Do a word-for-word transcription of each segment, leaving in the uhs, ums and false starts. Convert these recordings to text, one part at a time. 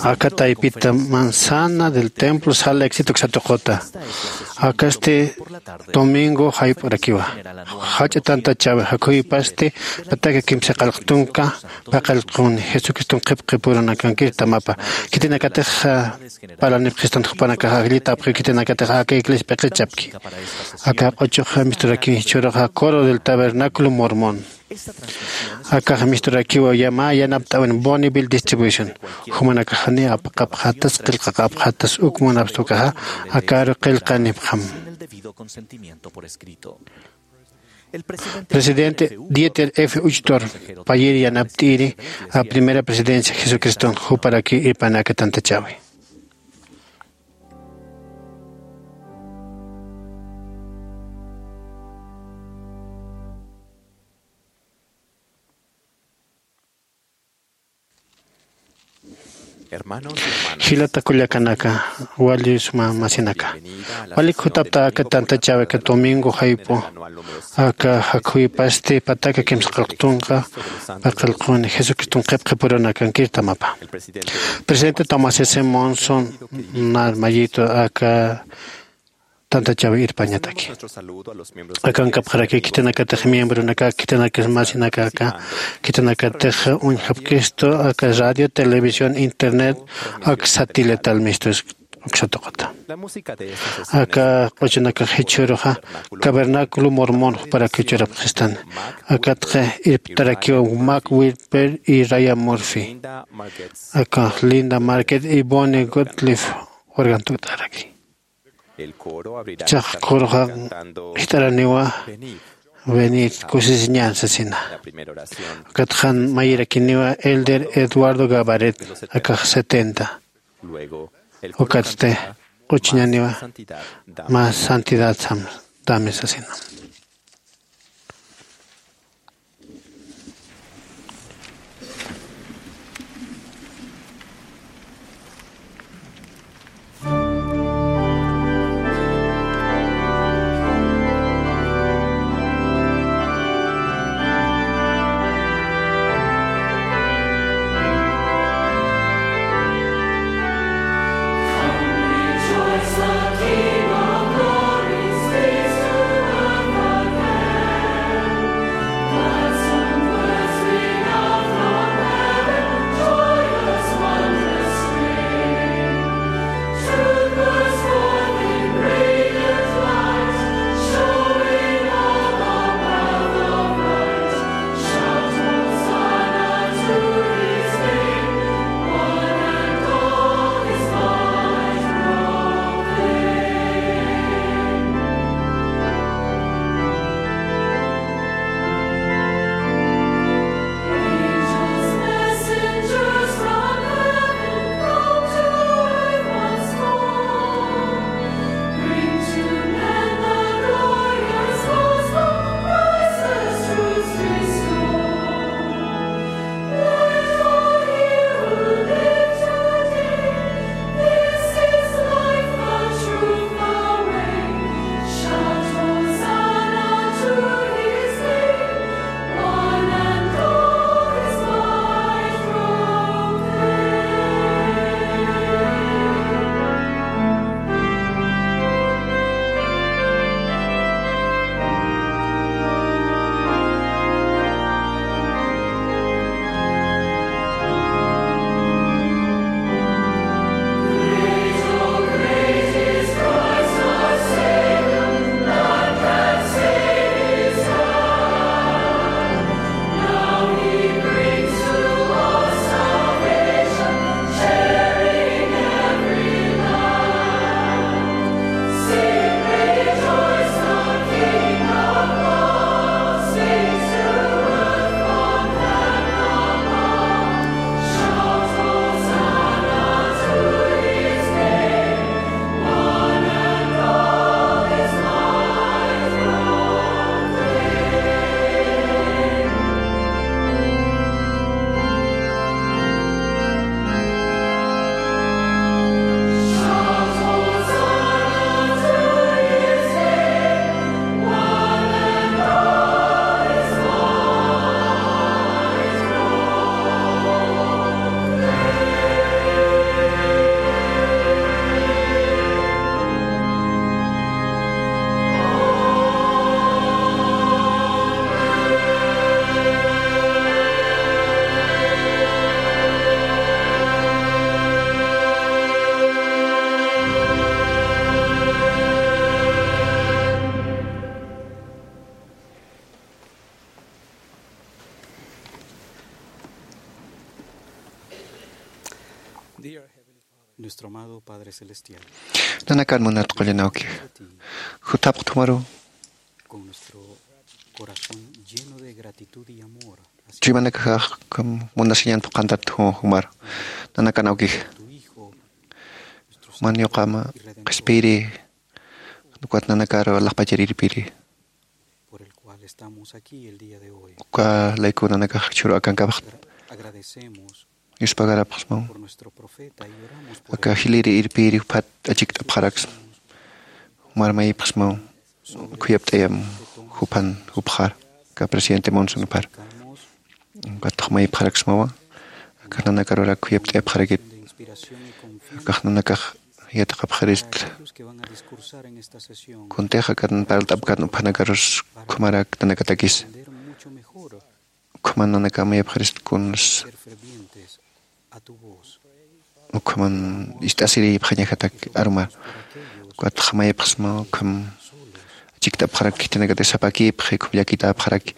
Aka taypita manzana del templo Salt Lake City uksa tuquta. Akasti domingo jayp'urakiwa. Jach'a tantachäwi, jakhuypasti pataka kimsa qillqtunka paqallquni, Jesucriston qhipqipurunakankir tamapa. Khitinakatix parlanipxistan jupanakax ajllita apxi, khitinakatix aka iglesia p'iqichapki. Aka q'uchux misturaki jichhüruxa Coro del Tabernáculo Mormón. Akax misturakiwa mä yanapt'äwin Bonneville Distribution. Jumanakax janiw apaqapxätas, qillqaqapxätas, uk munapxta ukaxa akaru qillqanipxam. Presidente Dieter F. Uchtdorf payïr yanapt'iri a Primera Presidencia Jesucriston juparaki irpani aka tantachäwi. Jilata kullakanaka, wali suma masinaka, walik jutapta aka tantachäwi aka domingo jayp'u, aka jakhuypasti pataka kimsa qillqtunka paqallquni, Jesucriston qhipqipurunakankir tamapa. Presidente Thomas S. Monson, nar mayitu aka tantachäwi irpañataki. Akankapxaraki khitinakatix miembronaka, khitinakas masinakaka, khitinakatix uñjapkistu aka radio, televisión, internet, aka satelital mistus uksa tuquta. Aka q'uchunakax jichhüruxa Cavernáculo Mormón juparak jichhürapxistan. Akatxa irptarakiw Mac Whipper y Ryan Murphy. Aka Linda Market y Bonnie Gottlieb wargantukt'araki. Chax coroxa jist'araniwa Venid, kusisiñan sasina. Ukatxa mayirakiniwa Elder Eduardo Gabaret, akax setenta. Ukatsti q'uchuñaniwa Más santidad, sam-, dame sasina. Nuestro amado Padre Celestial, nanakan munat qullan awkix, jutapxt'amaru con nuestro corazón lleno de gratitud y amor hacia chuymanakaxax, ukham munasiñan phuqhantat jumar. Nanakan awkix, tu Hijo, nuestro man Salvador yuqama y Redentor, qhispiyiri, ukat nanakaru alaxpacharirpiri, por el cual estamos aquí el día de hoy. Uka layku nanakax jichhüru akankapax. Agra-, agradecemos yuspagarapxsmaw. Por nuestro profeta y oramos por él. Aka jiliri irpiri juphat achikt'apxaraksma. Jumar mayipxsmaw. Khuyapt'ayam jupan jupxar. Aka presidente Monson jupar. Ukatx mayipxaraksmawa. Aka nanakarurak khuyapt'ayapxarakit. Akax nanakax yatiqapxirist. Kuntix akan parlt'apkan uphanakarus ukhamarak nanakatakis. Ukhaman nanakax mayipxirist kuns. Ukhaman ist'asirïpxañajatak arumar. Ukatx mayipxsma ukham achikt'apxarak khitinakatix sapakïpxi, ukham llakitäpxaraki.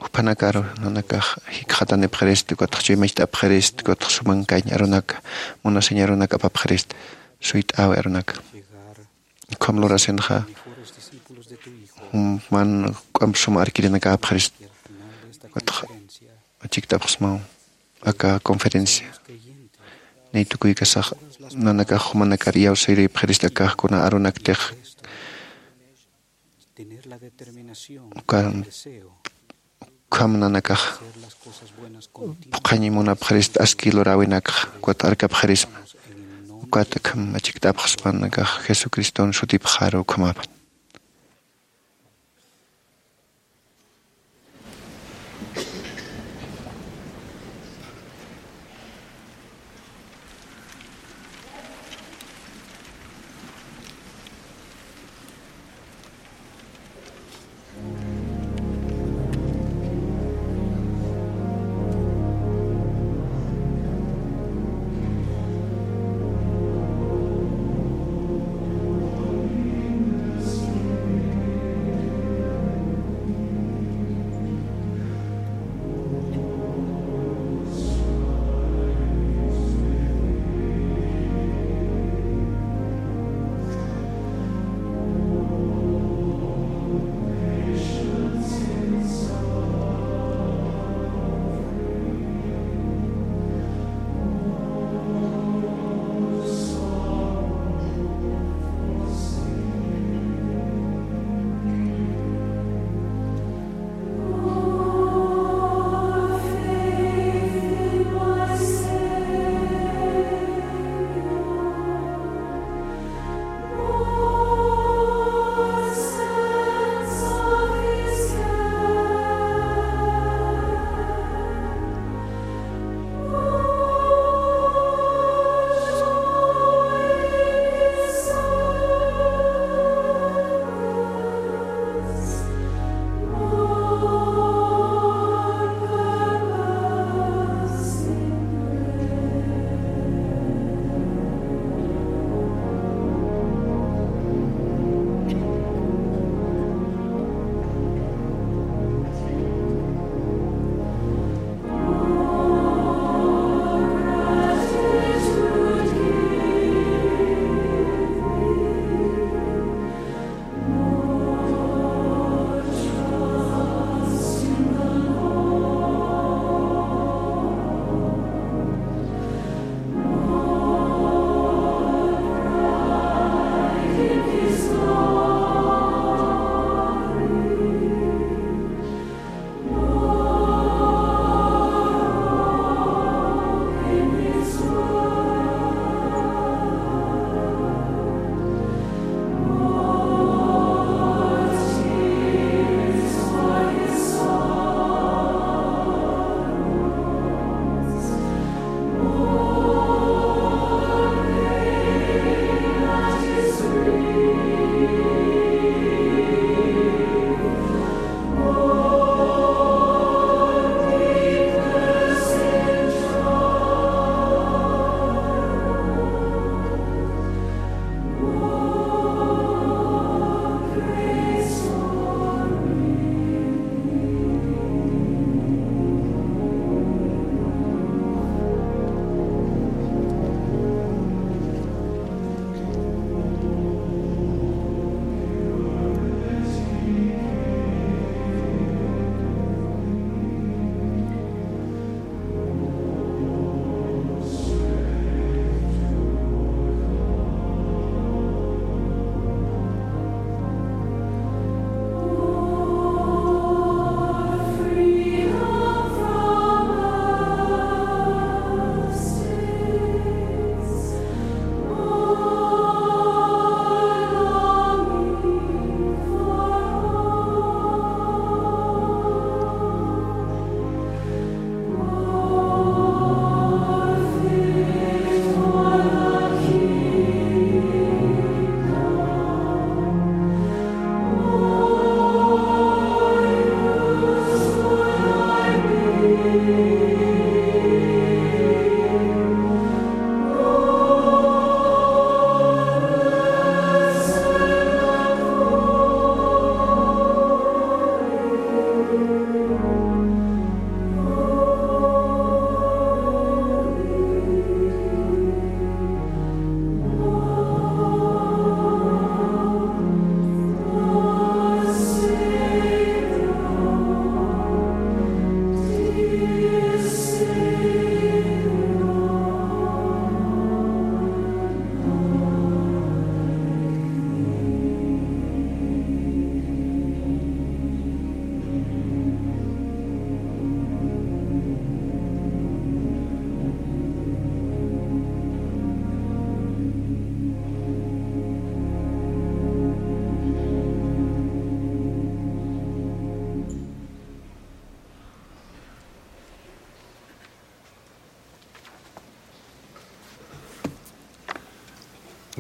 Jupanakaru nanakax jikxatanipxirist, ukatx chuymacht'apxirist, ukatx sumankañ arunaka, munasiñ arunaka apapxirist, suyt'äwi arunaka. Ukham lurasinxa, jum man juk'amp suma arkirinakäpxirist, ukatx achikt'apxsmaw aka conferencia. Niy tukuykasax nanakax jumanakar iyawsirïpxirist, akax kuna arunaktix. Uka ukham nanakax phuqhañ munapxirist aski luräwinakxa, ukat arkapxirisma. Ukat akham achikt'apxsma nanakax Jesucriston sutipxaru ukhamapan.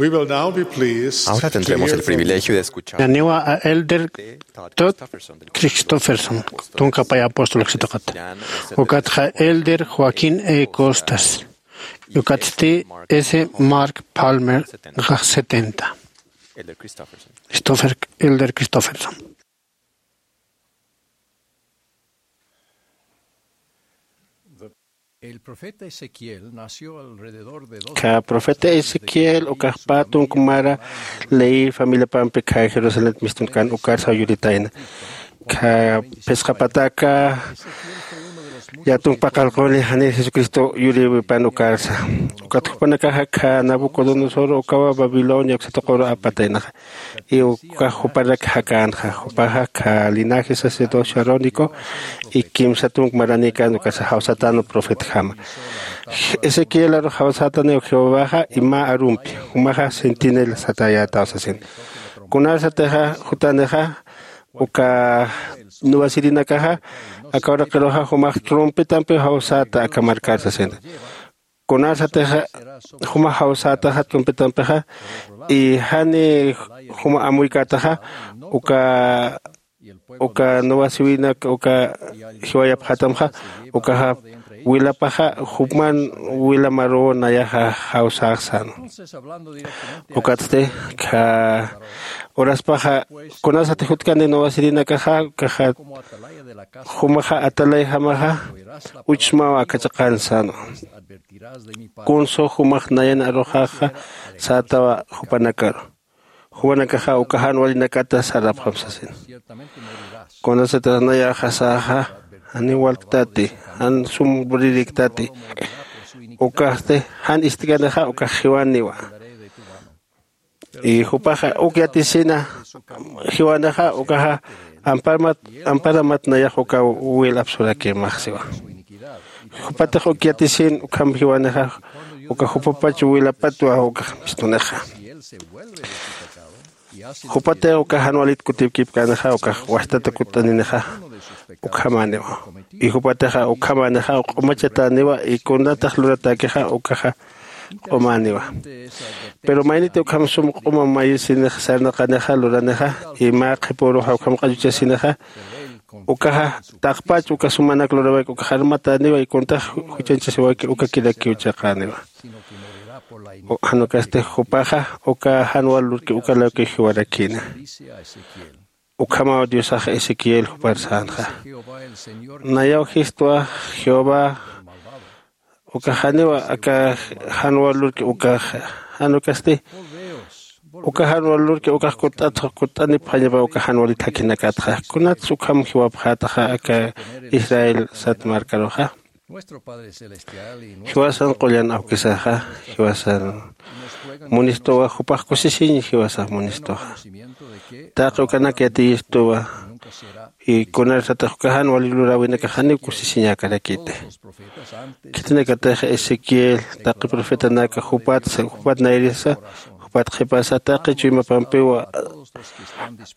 We will now be pleased Ahora to tendremos hear el from privilegio de escuchar Naniwa a Elder Todd Christofferson, tunka pay apóstol ksitaqat. Ukatxa Elder Joaquín E. Costas. Ukatsti S. Mark Palmer, ga setenta. Elder Christofferson. Christopher, Elder Christofferson. El profeta Ezequiel nació alrededor de doce Ka profeta Ezequiel ukax pä tunk mara Leví familiapampi ka Jerusalén mistunkan ukarsa yuritayna. Ka phisqa pataka ya tunk paqallquni jani Jesucristo yuriwipan ukarsa. Ukat jupanakaxa ka Nabucodonosor ukawa Babilonia uksa tuquru apataynaxa. Y ukax juparak jakänxa, jupaxa ka linaje sacerdocio Aaronico, y kimsa tunk maranïkän ukasa jawsatäna profetjama. Ezequiel aru jawsätaniw Jehovaxa, y mä arumpi, jumaxa centinela satayätaw sasin. Kunarsatixa jutanixa, uka nuwasirinakaxa, aka uraqiruxa jumax trompetampiw jawsäta aka markar sasin. Kunarsatixa juma jawsätaxa trompetampixa, y jani juma amuykätaxa, uka, uka nuwasiwinak, uka jiwayapxätamxa, ukaxa wilapaxa, jupman wila maruw nayaxa jawsäxsän. Ukatsti, ka uraspaxa, kunarsati jutkani nuwasirinakaxa, ukaxa, jumaxa atalayjamaxa, uchsmaw aka chiqan sänwa. Kunsa jumax nayan aruxaxa sätawa jupanakaru. Jumanakaxa uka jan walinakata sarapxam sasin. Kunasatix nayaxa säxa, janiw walktati, jan sum murirïktati. Ukasti, jan ist'kanixa ukax jiwaniwa. Y jupaxa uk yatisina jiwanixa ukaxa amparamat, amparamat nayax uka wil apsurakimax siwa. Jupatix uk yatisin ukham jiwanixa uka jupapach wilapatwa ukax mistunixa. Jupatix uka jan walit kutipkipkänixa ukax wajtata kutt'aninixa ukhamäniwa. Y jupatixa ukhamänixa q'umachatäniwa y kunatax luratäkixa ukaxa q'umäniwa. Pero mayniti ukham sum q'uma mayisinix sarnaqanixa luranixa, y mä qhipüruxa ukham q'achuchasinixa, ukaxa taqpach uka sumanak lurawayki ukax armatäniwa, y kunatax juchañchasiwayki ukakirakiw chiqäniwa. Jan ukasti jupaxa uka jan wal lurki uka lawkiw jiwarakïna. Ukhamaw Diosax Ezequiel jupar sänxa. Nayaw jistwa Jehová, ukax janiwa aka jan wal lurki ukaxa, jan ukasti, uka jan wal lurki ukax kutt'at, kutt'anipxañapa uka jan walit jakhinakatxa. Kunats ukham jiwapxätaxa aka Israel sat markaruxa. Jiwasan qullan awkisaxa, jiwasan munistuwa, jupax kusisiñ jiwasax munistuxa. Taqi ukanak yatiyistuwa, y kunarsatix uka jan wali luräwinakax janiw kusisiñäkarakiti. Khitinakatix Ezequiel, taqi profetanaka jupat, jupat nayrisa, jupat qhipasa, taqi chuymapampiw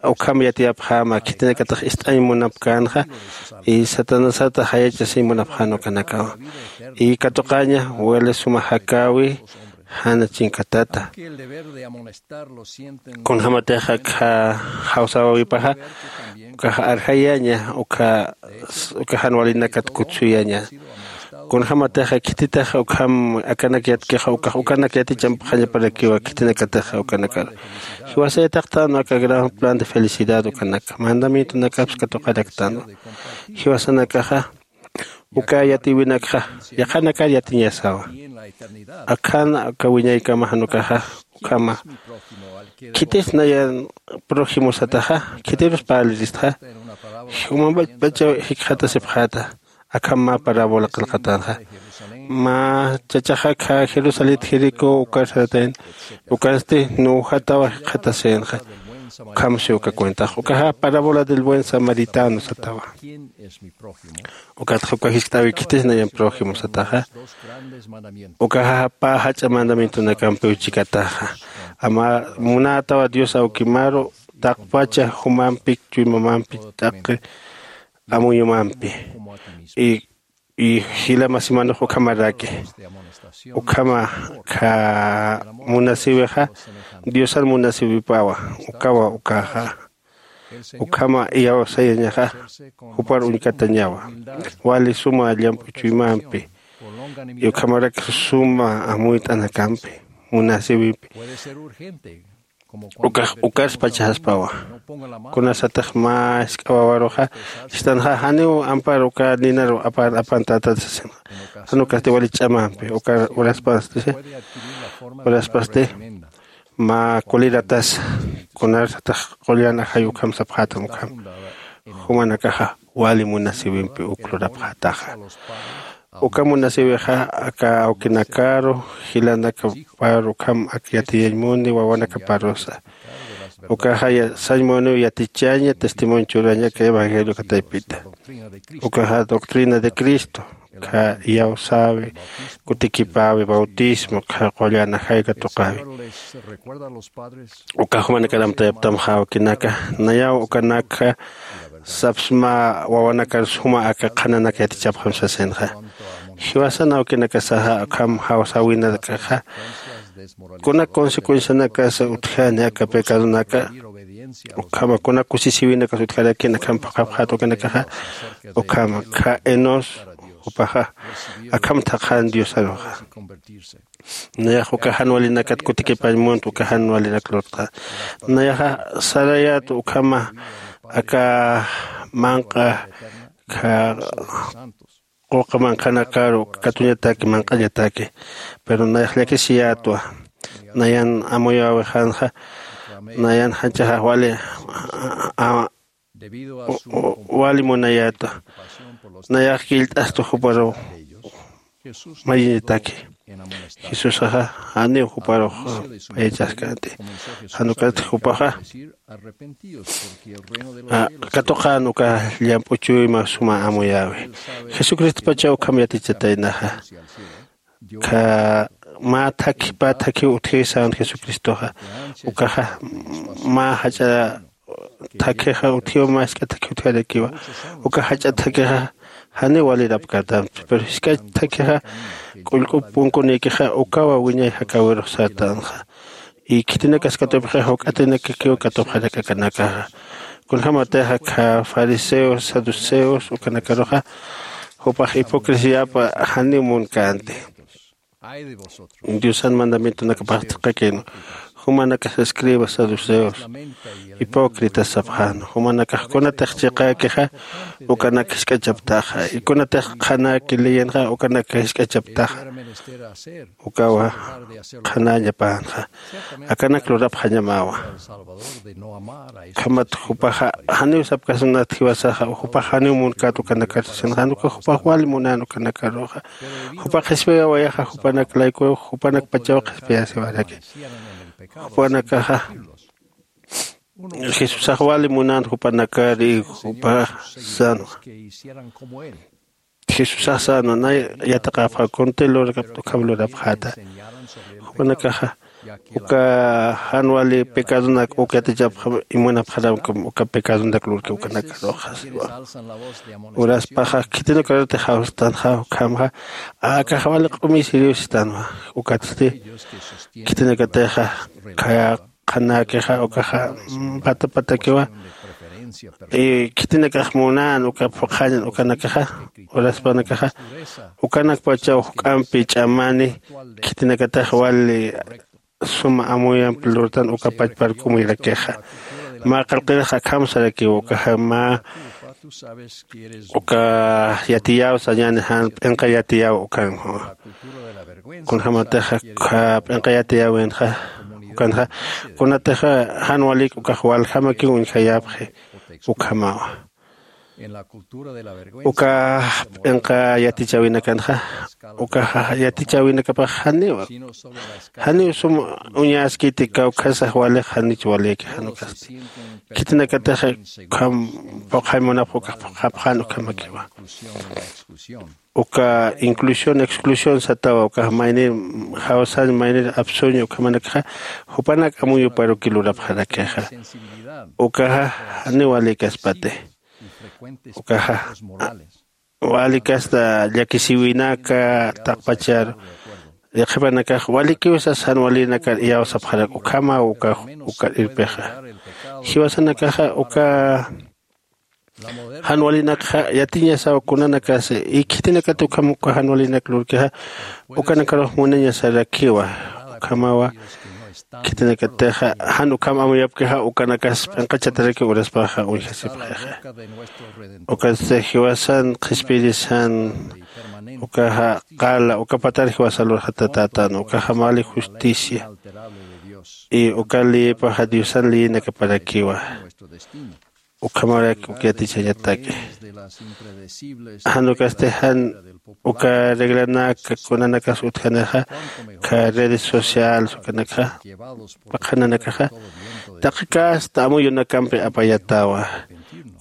ukham yatiyapxäma, khitinakatix ist'añ munapkänxa, y Satanasata jayachasiñ munapxän ukanakawa. Y katuqaña, wali suma jakäwi, jana chinkatata. Kunjämatix akha jawsäwipaxa, ukax arjayaña, uka, uka jan walinakat kutsuyaña. Kunjämatix khititix ukham akanak yatkixa, ukax ukanak yatichampxañaparakiwa khitinakatix ukanakar. Jiwasayataqtänwa aka gran plan de felicidad ukanak. Mandamientonakapsa katuqaraktanwa. Jiwasanakaxa, uka yatiwinakxa, yaqhanakar yatiñasawa. Akham, aka wiñaykama jan ukaxa, ukhama. Khitis nayan prójimo sataxa, khitirus parliristxa. Jumambapachaw jikxatasipxäta. Akham mä parábola qillqatänxa. Mä chachaxa akha Jerusalet Jericó ukar saratayn, ukansti nuwjatawa jikxatasïnxa. Ukham si uka cuentax. Ukaxa parábola del buen samaritano satawa. Ukatxa uka jiskt'äwi khitis nayan prójimo sataxa. Ukaxa pä jach'a mandamientonakampiw chikataxa. Ama munätawa Dios awkimaru, taqpacha jumampi, chuymamampi, taqi amuyumampi. Y Y jila masimanux ukhamaraki, ukhama kha munasiwixa diosan munasiwipawa. Ukawa ukaxa ukhama iyawsayañaxa jupar uñkatañawa wali suma llamp'u chuymampi. Y ukhamarak suma amuyt'anakampi munasiwimpi. Ukax ukarspacha jaspawa. Kunasatix mä jisk'a wawaruxa jistanxa janiw ampar uka ninaru apan apan tatat sasinxa. Jan ukasti wali ch'amampi ukar uraspasti uraspasti mä kuliratas. Kunarsatix qullan ajay ukham sapxätam ukham jumanakaxa wali munasiwimpi uk lurapxätaxa. Uka munasiwixa aka awkinakaru jilanakaparu ukham ak yatiyañ muni wawanakaparusa. Ukaxa sañ muniw yatichaña testimonio churaña aka evangelio kataypita. Ukaxa doctrina de cristo kha iyawsäwi kutikipäwi bautismo kha qullan ajay katuqäwi. Uka jumanakaramtayaptamxa awkinaka nayaw ukanakxa sapsma wawanakar suma aka qhananak yatichapxam sasinxa. Jiwasan awkinakasaxa ukham jawsäwinakaxa kunak consecuencianakasa utjani aka pecadonaka. Ukhama kunak kusisiwinakas utjarakin akham phuqhapxät ukanakaxa ukhama kha enos jupaxa akham thaqhan diosaruxa. Nayax uka jan walinakat kutikipañ munt uka jan walinak lurtxa. Nayaxa sarayät ukhama aka manq'a kha quqa manqhanakaru katuñataki manq'añataki. Pero nayax llakisiyätwa nayan amuyäwixanxa nayan janchaxax wali wali munayätwa. Nayax killt'astu juparuw mayiñataki. Jesusaxa janiw juparux payachaskanti. Jan ukat jupaxa katuqan uka llamp'u chuyma suma amuyäwi. Jesucristopachaw ukham yatichataynaxa. Kha mä thakhi pä thakhiw utjiw sän jesucristoxa. Ukaxa mä jach'a thakhixa utjiw mä jisk'a thakhi utjarakiwa. Uka jach'a thakhixa janiw walirapkärtamti pero jisk'a thakhixa k'ullk'up punkunïkixa ukawa wiñay jakäwirux sartanxa. Y khitinakas katupxi jawk'atinakakiw katupxarak akanakaxa. Kunjämatixa kha fariseos saduceos ukanakaruxa jupax hipocresiyapa janiw munkänti. Diosan mandamientonakapax thiqakïnwa. Jumanakas escribas saduceos hipócritas sapxän jumanakax kunatix chiqäkixa ukanak jisk'achaptaxa. Y kunatix qhanäki leyenxa ukanak jisk'achaptaxa. Ukawa qhanäñapänxa akanak lurapxañamäwa. Ukhamat jupaxa janiw sapkasunat jiwasaxa jupax janiw munkät ukanakar sasin jan uka jupax wali munän ukanakaruxa. Jupax qhispiyawayaxa jupanak layku jupanakpachaw qhispiyasiwaraki. Jupanakaxa jesusax wali munän jupanakar y jupax sänwa. Jesusax sänwa nay yatiqapxä kunti lurakapta ukham lurapxäta. Jupanakaxa uka jan wali pecadonak uk yatichapxam imunapxaramkam uka pecadonak lurki ukanakaruxa siwa. Uraspaxa khitinukarutix jawstanxa ukhamxa akaxa wali q'umisiriw sistanwa. Ukatsti khitinakatixa khaya qhanäkixa ukaxa patapatakiwa. Y khitinakax munän uka phuqhañan ukanakaxa uraspanakaxa ukanakpachaw juk'ampi ch'amani khitinakatax wali suma amuyampi lurtan uka pachpar k'umuyrakixa. Mä qillqirix akham sarakiw ukaxa mä uka yatiyäw sañäni jan p'inqa yatiyäw ukan. Kunjämatix p'inqa yatiyäwinxa ukanxa kunatix jan walik ukax waljamakiw uñjayäpxi. Ukhamawa uka p'inqa yatichäwinakanxa ukaxa yatichäwinakapax janiw janiw sum uñaskiti kawkhasax walix janich walïki jan ukasti. Khitinakatix ukham phuqhay munapx ukax phuqhapxän ukhamakiwa. Uka inclusión exclusión satawa ukax maynir jawsañ maynir apsuña ukhamanakxa jupanak amuyuparuki lurapxarakixa. Ukaxa janiw walïkaspati ukaxa Wali kasta llakisiwinaka taqpacharu, qhipanakax walikiw sas jan walinakar iyawsapxarak ukhamaw ukax. Ukar irpixa jiwasanakaxa uka jan walinakxa yatiñasaw kunanakas, y khitinakat ukham uka jan walinak lurkixa ukanakarux munañasarakiwa. Ukhamawa khitinakatixa jan ukham amuyapkixa ukanakas p'inqachatarakiw uraspaxa uñjasipxixa. Ukatsti jiwasan qhispirisan ukaxa qala ukapatar jiwasa lurxatatätan ukaxa mali justicia. Y uka leyipaxa diosan leyinakaparakiwa. Ukhamarak uk yatichañataki jan ukasti jan uka reglanak kunanakas utjanixa kha redes sociales ukanakxa paqhananakaxa taqi kasta amuyunakampi apayatawa.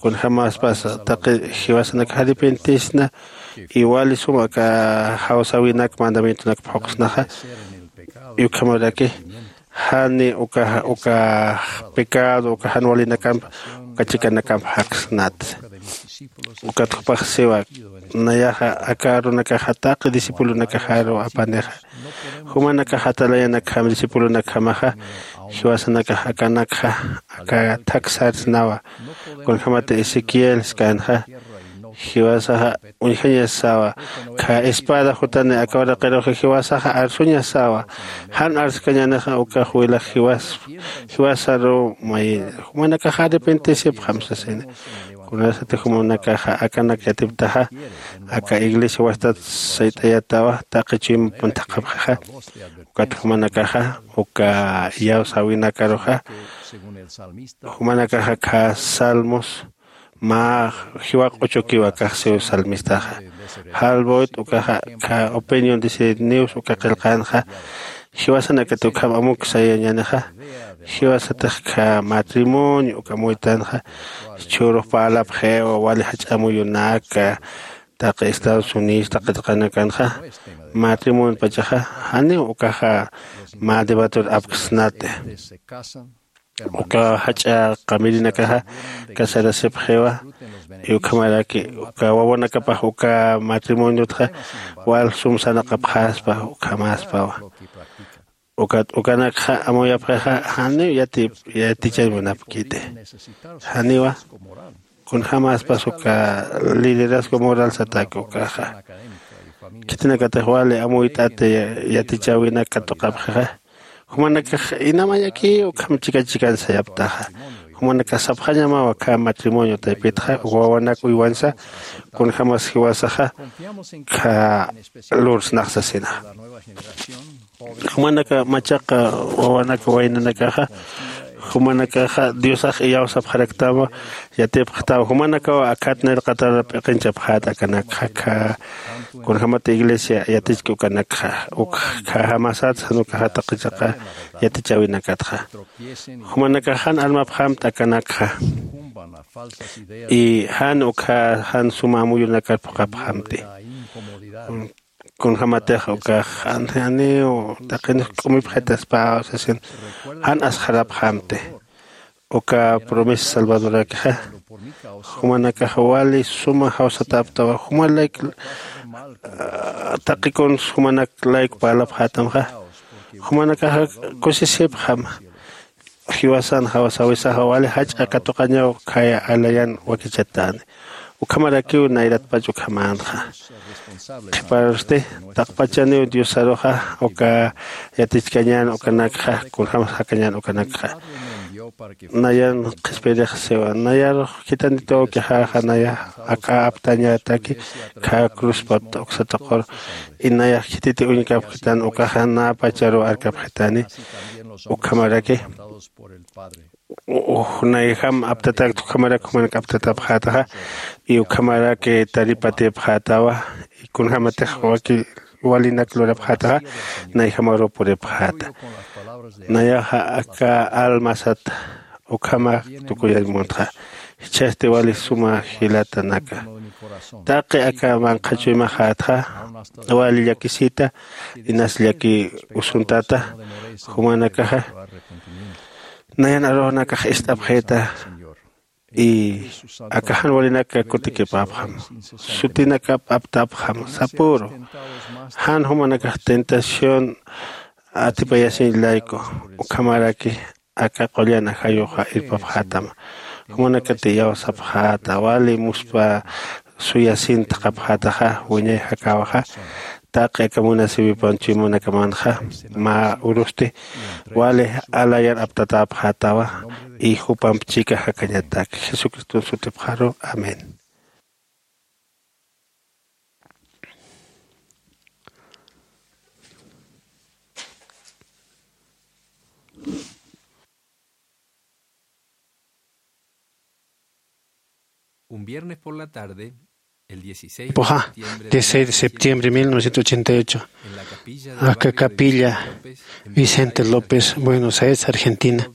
Kunjämaspas taqi jiwasanakax arrepentisna y wali suma aka jawsäwinak mandamientonak phuqsnaxa. Y ukhamaraki jani uka uka pecado uka jan walinakamp uka chikanakamp jaksnat. Ukat jupax siwa nayaxa aka arunakaxa taqi discipulonakaxaru apanixa jumanakax atalayanakjam discipulonakjamaxa jiwasanakax akanakxa aka thaksarsnawa. Kunjämat ezequiel skanxa jiwasaxa uñjañasawa kha espada jutani aka uraqiruxa jiwasaxa arsuñasawa. Jan arskañänixa ukax wilax jiwasaru mayiña jumanakaxa arrepentisipxam sasina. Kunasati jumanakaxa akanak yatiptaxa aka iglesia wastat sayt'ayatawa taqi chuyma punthaqapxixa. Ukat jumanakaxa uka iyawsäwinakaruxa jumanakaxa kha salmos mä jiwa q'uchukiwa kaxsiw salmistaxa. Jalboyt ukaxa kha opinión disiniws uka qillqänxa jiwasanakati ukham amuk sayañänixa. Jiwasatix kha matrimonio uka amuytanxa chhürux parlapxiwa wali jach'a amuyunaka taqi estados unidos taqi tuqanakanxa matrimoniopachaxa janiw ukaxa mä debatur apksnati. Uka jach'a qamirinakaxa casarasipxiwa y ukhamaraki uka wawanakapax uka matrimoniotxa wal sum sarnaqapxaspa ukhamaspawa. Ukat ukanakxa amuyapxixa janiw yatichañ munapkiti. Janiwa kunjämaspas uka liderazgo moral sataki ukaxa khitinakatix wali amuyt'ati yatichäwinak katuqapxixa. Jumanakax inamañaki ukham chikan chikan sayaptaxa. Jumanakax sapxañamawa kha matrimonio taypitxa wawanak uywansa kunjämas jiwasaxa kha lursnax sasina. Jumanaka machaqa wawanaka waynanakaxa jumanakaxa diosax iyawsapxaraktawa. Yatipxtawa jumanakawa akhat nirqatar p'iqinchapxät akanakxa kha kunjämat iglesia yatichki ukanakxa uk khajamasat jan ukaxa taqichaqa yatichäwinakatxa jumanakax jan armapxamta akanakxa. Y jan ukha jan suma amuyunakar phuqapxamti. Kunjämatix ukax janiw taqinix k'umipxitaspaw sasin jan asxarapxamti. Uka promesa salvadorakixa jumanakax wali suma jawsatäptawa jumalayk taqi kuns jumanak layku parlapxätamxa. Jumanakaxa kusisipxam jiwasan jawsawisaxa wali jach'a katuqañaw khaya alayan wakichatäni. Ukhamarakiw nayratpach ukhamänxa. Qhiparusti taqpachaniw diosaruxa uka yatichkañän ukanakxa kunjämas jakañän ukanakxa. Nayan qhispirix siwa nayarux khitanituw ukixäxa naya aka aptañätaki kha cruzpapta uksa tuqur. Inayax khititi uñkapxitan ukaxa näpacharuw arkapxitani. Ukhamaraki nayjam aptatäkta ukhamarak jumanak aptatapxätaxa. Y ukhamarak taripatipxätawa. Kunjämatix waki walinak lurapxätaxa nayjamaruw puripxäta. Nayaxa aka almasat ukhama tukuyañ muntxa. Jichhasti wali suma jilatanaka taqi aka manqha chuymaxätxa wali llakisita inas llaki usuntata. Jumanakaxa nayan arunakax ist'apxita. Y aka jan walinaka kutikipäpxam, sutinakap aptapxam sapüru. Jan jumanakax tentación atipayasiñ layku, ukhamaraki aka qullan ajayuxa irpapxätama. Jumanakati iyawsapxäta, wali muspa suyasin thaqhapxätaxa wiñay jakäwaxa, taqi aka munasiwipan chuymanakamanxa mä urusti wali alayar aptatäpxätawa, y jupamp chika jakañatak. Jesucriston sutipxaru. Amén. Un viernes por la tarde, el dieciséis de Puxa, septiembre de dieciséis de septiembre de mil novecientos ochenta y ocho, en la capilla de aka capilla Vicente López, Buenos Aires, Argentina,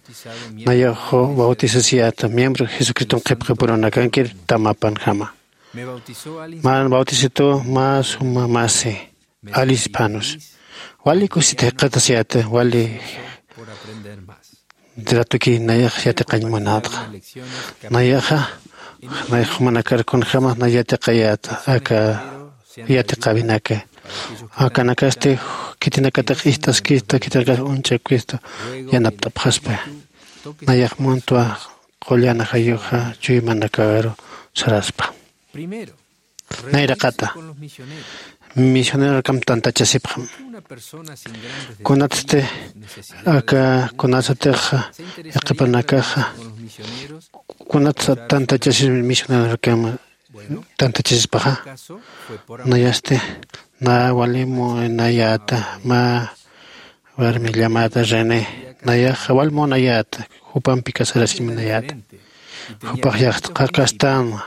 nayax bautizasiyäta, miembro Jesucriston qhipqipurunakankir tamapanjama. Mä bautizituw mä suma masi Alice Panus. Wali kusita jikxatasiyäta, wali ratuki nayax yatiqañ munätxa. Nayaxa, nayax jumanakar kunjämas nay yatiqayäta aka yatiqäwinaka. Akanakasti khitinakatix ist'askista, khitinakatix uñchakista yanapt'apxaspa. Nayax muntwa qullan ajayuxa chuymanakaru saraspa. Nayraqata, misionerokam tantachasipxam. Kunatsti aka, kunasatix yaqhipanakaxa, kunatsa tantachasispa misionerokam tantachasispaxa. Nayasti na wali munayäta, mä warmi llamäta René, nayaxa wal munayäta, jupampi casarasiñ munayäta. Jupax yaqha kastänwa,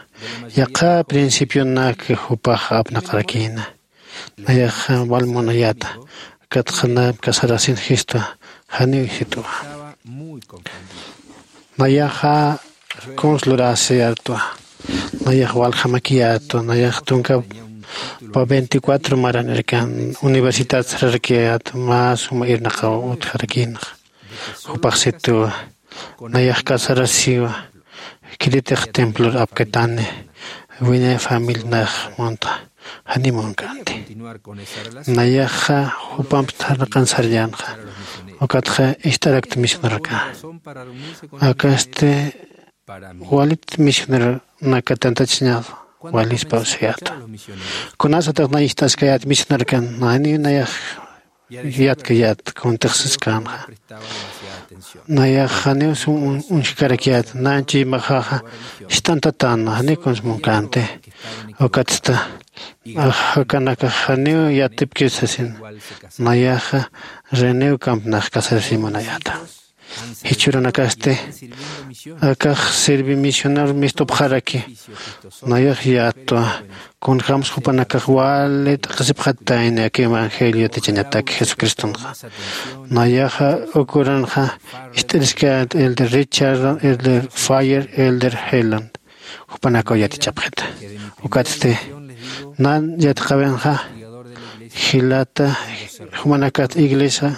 yaqha principionak jupax apnaqarakïna. Nayaxa wal munayäta, akatxa na casarasin jistwa, janiw jisktwa. Nayaxa kuns lurasiyätwa, nayax waljamakiyätwa, nayax tunka pa veinticuatro maranirkan universidad sararakiyätwa, mä suma irnaqaw utjarakïnxa. Jupax situwa, nayax casarasiwa, khiritix templor apkatani, wiñay familia nax munta, janiw munkänti. Nayaxa jupamp sarnaqan sarllänxa, ukatxa ist'arakta misionerka. Akasti walit misioneronaka tantachasiñax walispa usiyäta. Kunasatix nay ist'askayät misionerkan, janiw nayax yatkayät kuntix siskänxa. Nayax janiw sum uñjkarakiyät, nañ chuymaxaxa ist'antatäna, janiw kuns munkänti. Ukatsta akanakax janiw yatipkir sasin, nayaxa René ukamp nax casarasiñ munayäta. Jichhürunakasti akax sirvi misionero mistupxaraki, nayax yätwa, kunjämsa jupanakax wali t'aqhisipxatayni aka evangelio yatichañatak Jesucristonxa. Nayaxa ukürunxa ist'iriskayät elder Richard, elder Fire, elder Heland, jupanakaw yatichapxita. Ukatsti nan yatiqäwinxa, jilata, jumanakasti iglesia,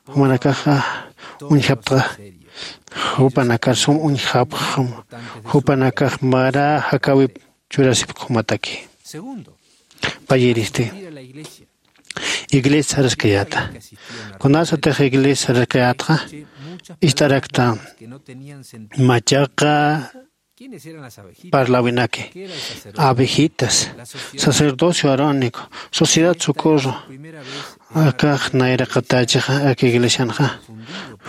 jumanakaxa uñjapxta, jupanakar sum uñjapxam, jupanakax mara jakäwip churasipxumataki. Payiristi, iglesia saraskayäta. Kunasatix iglesia saraskayätxa, ist'arakta machaqa parläwinaki, abejitas, sacerdocio arónico, sociedad socorro, akax nayraqatächixa aka iglesianxa,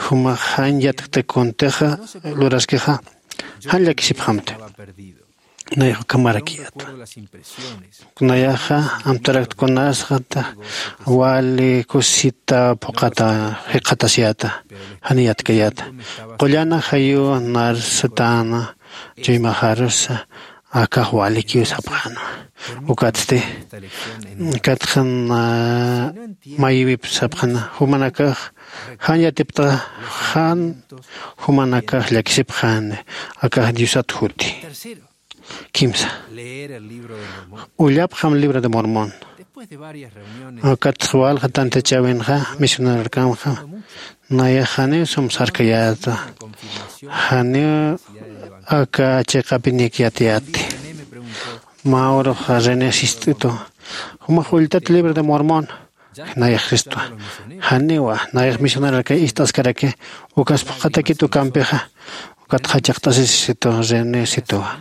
jumax jan yatkta kuntixa luraskixa, jan llakisipxamti. Nayax ukhamarakiyätwa. Nayaxa amtarakta kunasxata wali kusisita phuqhata jikxatasiyäta, janiy yatkayäta. Qullan ajayuw narsatäna chuymaxarusa, akax walikiw sapxänwa. Ukatsti, ukatxa mayiwip sapxäna, jumanakax jan yatipxta, jan jumanakax llakisipxäni, akax Diosat juti. Kimsa. Ullapxam libro de Mormón. Ukatxa walja tantachäwinxa, misionerokamxa, nayax janiw sum sarkayäta, janiw aka chiqapinik yatiyati. Mä urux René sist'itu, jumax ulltat libro de Mormón. Nayax cristwa. Janiwa nayax misionararkay ist'askaraki. Ukas phuqhatakit ukampixa. Ukat jachaqt'asisisitu René situwa.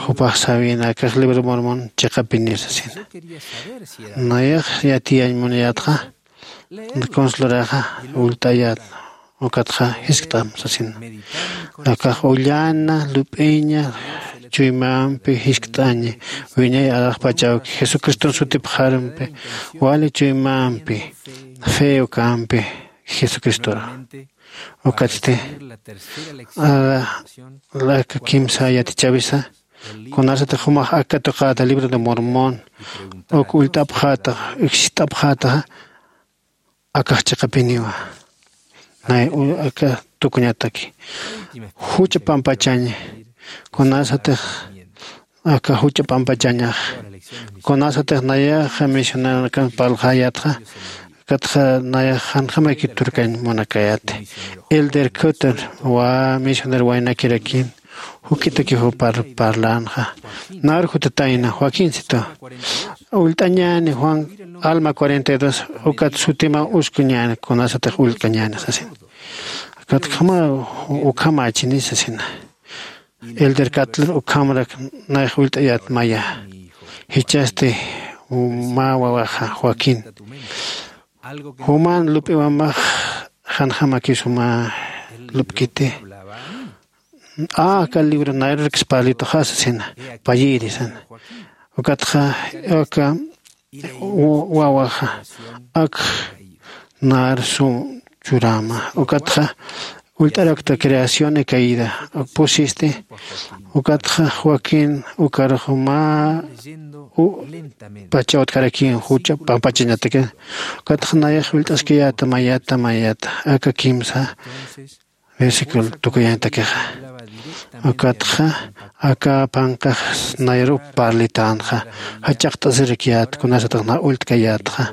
Jupax sawina akax libro de Mormón chiqapinir sasina. Nayax yatiyañ munayatxa, consuloraxa ullt'ayat. Ukatxa jiskt'am sasina. Akax ullana lup'iña chuymampi jiskt'añi. Wiñay alaxpachawki jesucriston sutipxarampi wali chuymampi fe ukampi jesucristora. Ukatsti ara laka kimsa yatichawisa. Kunasatix jumax aka tuqata libro de Mormón uk ullt'apxatax uksist'apxataxa. Akax chiqapiniwa nay aka tukuñataki jucha pampachañi. Kunasatix aka jucha pampachañax kunasatix nayaxa misionaranakan parlxayatxa. Katxa nayax janjamayki turkañ munakayati. Elder cutter wa misionar waynakirakin jukitaki jupar parlanxa. Nar jutatayna joaquinsitu ullt'añäni juan alma cuarenta y dos ukat sutima uskuñäni kunasatix ullt'kañäni sasin. Katkhama ukhamachini sasina. Elder catler ukhamrak nayax ullt'ayat maya. Jichhasti mä wawaxa joaquín juman lup'iwamax janjamakiw suma lup'kiti. Aka libro nayrurkis parlituxa sasina payïri sana. Ukatxa aka wawaxa ak nar sum churama ukatxa ullt'arakta creación y caída pusisti. Ukatxa joaquín ukarux mä pachawtjarakin jucha pampachañataki. Ukatxa nayax ullt'askayäta mayata mayata aka kimsa versículo tukuyañatakixa. Ukatxa aka phanqax nayarup parlitänxa jachaqt'asirakyät kunasatix na ullt'kayätxa.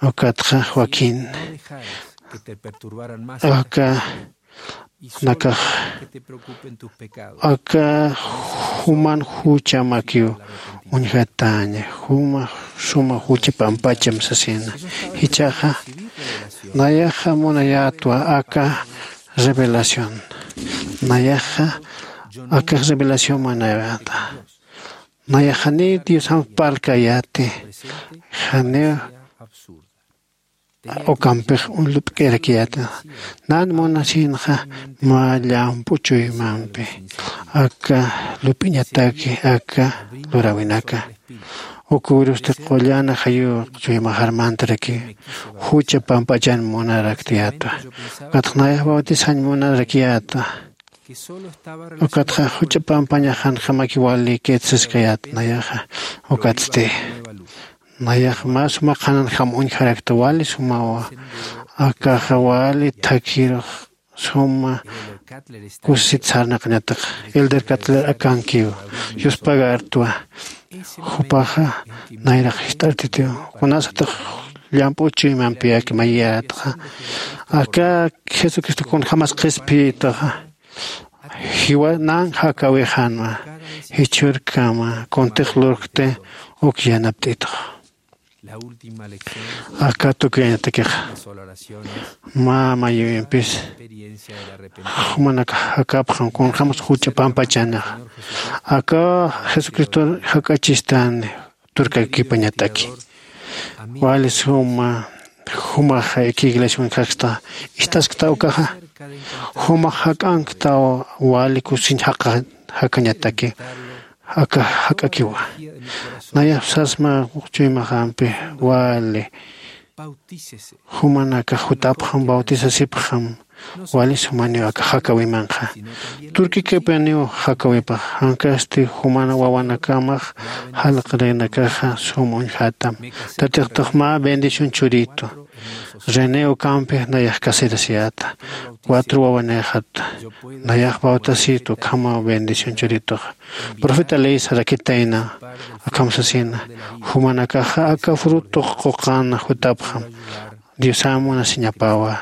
Ukatxa joaquín aka nakax aka juman juchamakiw uñjatäña juma suma jucha pampacham sasina. Jichhaxa nayaxa munayätwa aka revelación. Nayaxa akax revelación munayäta. Nayax janiw diosamp parlkayäti. Janiw ukampix lup'k'irakiyäta. Nan munasinxa mä llamp'u chuymampi aka lup'iñataki aka luräwinaka. Ukürusti qullana jayu chuymaxar mantaraki jucha pampachan munaraktiyäta. Ukatxa nayax bautizañ munarakyäta. Ukatxa jucha pampañax janjamaki wali ketsaskayät nayaxa. Ukatsti nayax mä suma qhananjam uñjarakta wali sumawa. Akaxa wali thakirux suma kusisit sarnaqañatax elder catler akankiw yuspagartwa. Jupaxa nayraq jist'artitiw kunasatix llamp'u chuymampi aka mayiyätxa. Aka jesucristo kunjämas qhispiyituxa jiwa nan jakawixanwa. Jichhürkama kuntix lurkti uk yanapt'itux. Aka tukuyañatakixa mä mayïwimpis jumanak jakapxam kunjämas juch'a pampachanaxa. Aka jesucristor jak'achistani turkakipañataki. Wali suma jumaxa aka iglesiawan jaksta ist'askta ukaxa jumax jak'ankta wali kusiñ jaqha jakañataki. Aka jak'akiwa nayax sasma chuymaxampi wali jumanakax jutapxam bautisasipxam. Wali sumaniw aka jakawimanxa turkikipaniw jakawipax. Jankasti juman wawanakamax jalaqrinakaxa sum uñjatam. Tatixtux mä bendición churitu rené ukampi nayax casirasiyäta. Cuatro wawanixat nayax bautasitu ukhama bendición churituxa profeta leisa rakitayna. Akham sasina jumanakaxa aka frutux quqana jutapxam. Diosam munasiñapawa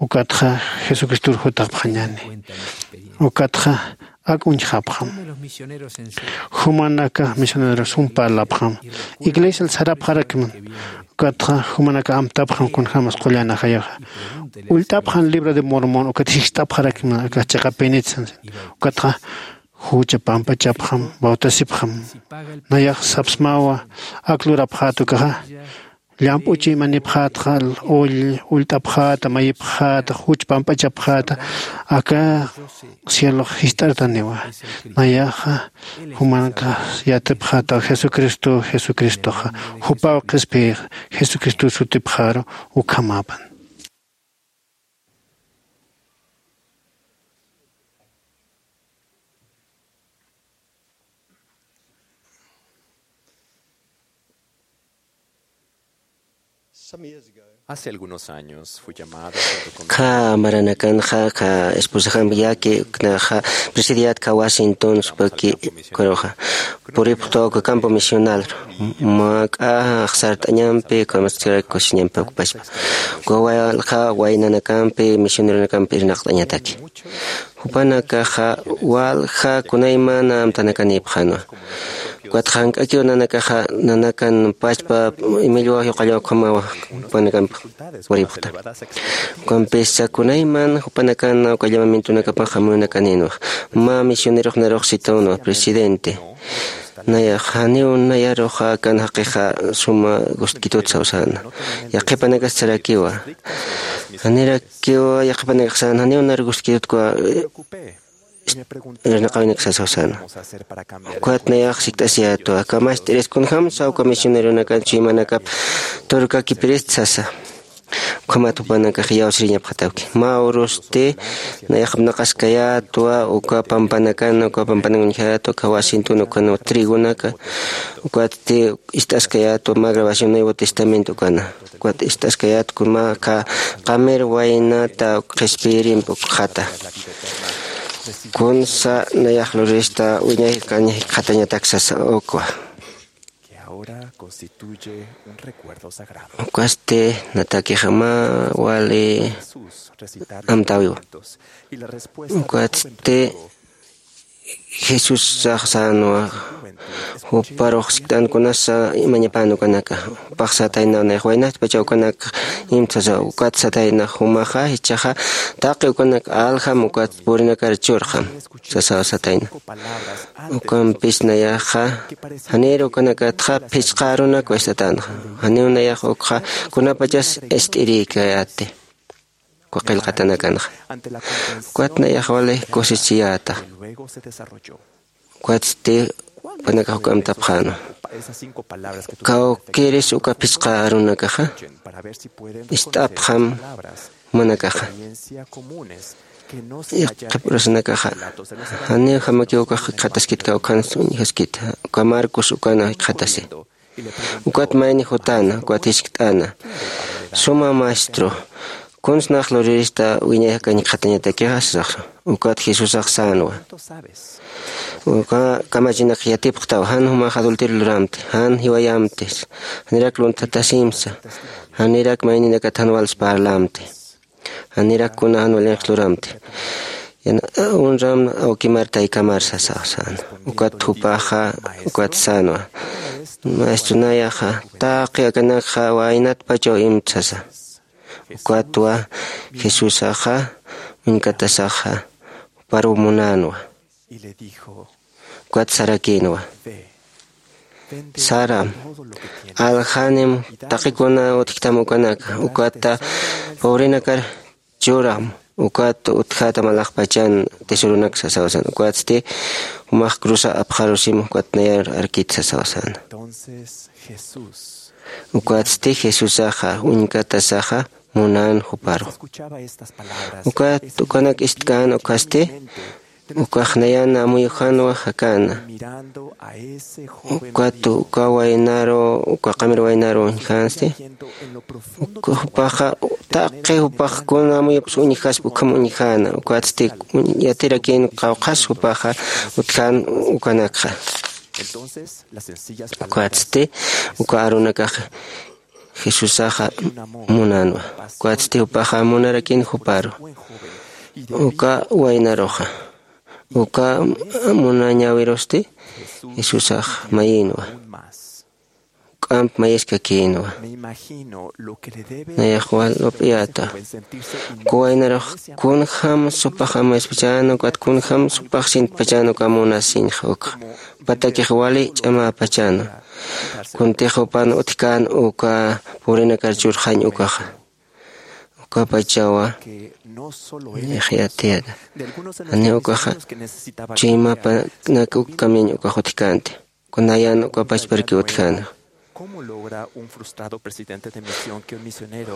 ukatxa jesucristor jutapxañani. Ukatxa ak uñjapxam. Jumanaka misioneros jum parlapxam. Iglesial sarapxarakman. Ukatxa jumanaka amtapxam kunjämas qullanajayaxa. Ullt'apxam libro de Mormón, ukat jikst'apxarakman aka chiqapinitsan. Ukatxa jucha pampachapxam, bautisipxam. Nayax sapsmawa ak lurapxäta ukaxa. Llamp'u chuymanipxätxa, ull ullt'apxäta, mayipxäta, juch pampachapxäta, aka cielox jist'artaniwa. Nayaxa jumanaka yatipxäta Jesucristo, Jesucristoxa jupaw qhispiyix, Jesucristo sutipxaru ukhamäpan. Hace algunos años fui llamado junto con... Kha maranakanxa kha esposaxampi yaqui uknaxa presidiyät kha Washington supaki ukaruxa puripxtwa uka campo misional, mak'a axsart'añampi ukamas churaki cociñampi ocupaspa. Uka walja waynanakampi misioneronakampi irnaqt'añataki. Jupanakaxa walja kunaymana amtanakanïpxänwa. Ukat jank'akiw nanakaxa nanakan pachpa imillwa yuqallaw ukhamawa jupanakampi puripxta. Ukampisa kunayman jupanakan uka llamamientonakapax amuyunakanïnwa. Mä misionerox narux sitänwa presidente. Nayax janiw nayaruxa akan jaqixa suma gustkitut sawsäna. Yaqhipanakas sarakiwa. Janirakiwa yaqhipanakax sän janiw nar gustkitutkiwa irnaqäwinaksa sawsäna. Ukat nayax sikt'asiyätwa, kamast'iris kunjämsa uka misioneronakan chuymanakap turkakipirist sasa. Ukhamat jupanakax iyawsiriñapxatawki. Mä urusti nayax apnaqaskayätwa uka pampanakan, uka pampanakan uñjayätwa, uka Washington ukan trigonaka, ukatsti ist'askayätwa mä grabación Nuevo Testamento ukana. Ukat ist'askayät kuna mä qamir waynata qhispiyirimpi ukxata. Kunsa nayax lurista wiñay jikxatañatak sasa ukwa. Ukatsti natakixa mä wali amtäwiwa. Ukatsti Jesusax sänwa, juparux sikt'an kunasa mañapan ukanaka, jupax satayna nayax waynatpachaw ukanak imtsasa, ukat satayna jumaxa jichhaxa taqi ukanak aljam ukat purinakar churxam sasaw satayna. Ukampis nayaxa janir ukanakatxa phichqa arunakwa ist'atänxa, janiw nayax ukxa kunapachas ist'irïkayäti. Uka qillqatanakanxa. Ukat nayax wali kusisiyäta. Ukatsti jupanakax uka amtapxänwa. Kawkiris uka phichqa arunakaxa ist'apxam jumanakaxa. Qhipürusanakaxa janiw jamakiw ukax jikxataskit, kawkhans uñjaskit. Uka Marcos ukana jikxatasi. Ukat mayni jutäna, ukat jiskt'äna, suma maestro, kuns nax lurirista wiñay jakañ jikxatañatakixa sasaxa. Ukat Jesusax sänwa. Uka kamachinakx yatipxtaw, jan jumax adulterio luramti, jan jiwayamti, janirak luntatasimsa, janirak mayninakat jan wals parlamti. Janirak kuna jan walinx luramti. Yana unram awkimar taykamar sasaw sän. Ukat jupaxa ukat sänwa. Maestro nayaxa taqi akanakxa waynatpachaw imtsasa. Ukatwa Jesusaxa uñkatasaxa juparuw munänwa. Ukat sarakïnwa. Saram, aljanim taqikuna utjtam ukanaka, ukata pobrenakar churam, ukat utjätam alaxpachan tesoronaksa sasaw sän. Ukatsti jumax cruza apxarusim ukat nayar arkit sasaw sän. Ukatsti Jesusaxa uñkatasaxa munän juparu. Ukat ukanak ist'kän ukasti, ukax nayan amuyujanwa jakana. Ukat uka waynaru, uka qamir waynaru uñjansti. Uka jupaxa, taqi jupax kuna amuyups uñjasp ukham uñjana. Ukatsti yatirakïn qawqhas jupaxa utjan ukanakxa. Ukatsti uka arunakax Jesusaxa munänwa. Ukatsti jupaxa munarakin juparu. Uka waynaruxa. Uka munañäwirusti Jesusax mayïnwa. K'amp mayiskakïnwa. Nayax wal lup'iyäta. Uka waynarux kunjam supax amuyspachäna, ukat kunjam supax sintpachäna uka munasiñxa ukxa. Ukatakix wali ch'amäpachäna. Kuntix jupan utjkän uka purinakar churxañ ukaxa. Ukapachawa nayax yatiyäta. Janiw ukaxa chuymapanak uk kamiñ ukax utjkänti. Kunayän uka pachparki utjäna.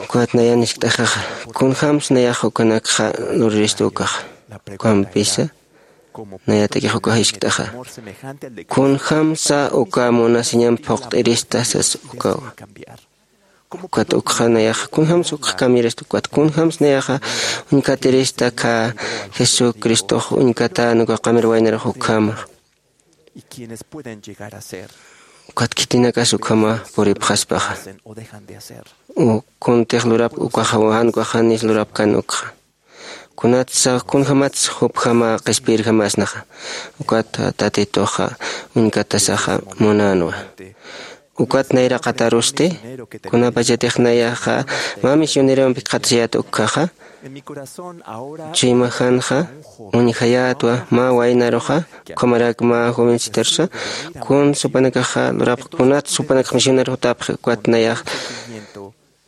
Ukat nayan jiskt'axaxa, kunjämsa nayax ukanakxa luriristu ukaxa. Ukampisa nayatakix ukax jiskt'axa, kunjämsa uka munasiñamp phuqt'irista sas ukawa. Ukat ukxa nayaxa kunjämsa ukxa kamyirista, ukat kunjämsa nayaxa uñkatirista, aka Jesucristox uñkatän uka qamir waynarux ukhama. Ukat khitinakas ukhama puripxaspaxa. Kuntix lurapk ukaxa, jan ukax janis lurapkän ukxa. Kunatsa, kunjämatsa jupjama qhispiyirjamasnaxa. Ukat Tatituxa uñkatasaxa munänwa. Ukat nayraqatarusti, kunapachatix nayaxa mä misionerompik qhatasiyät ukjaxa, chuymajanxa uñjayätwa, mä waynaruxa, ukhamarak mä jovencitarusa, kun supanakaxa lurapx, kunat supanakax misioneru jutapxi, ukat nayax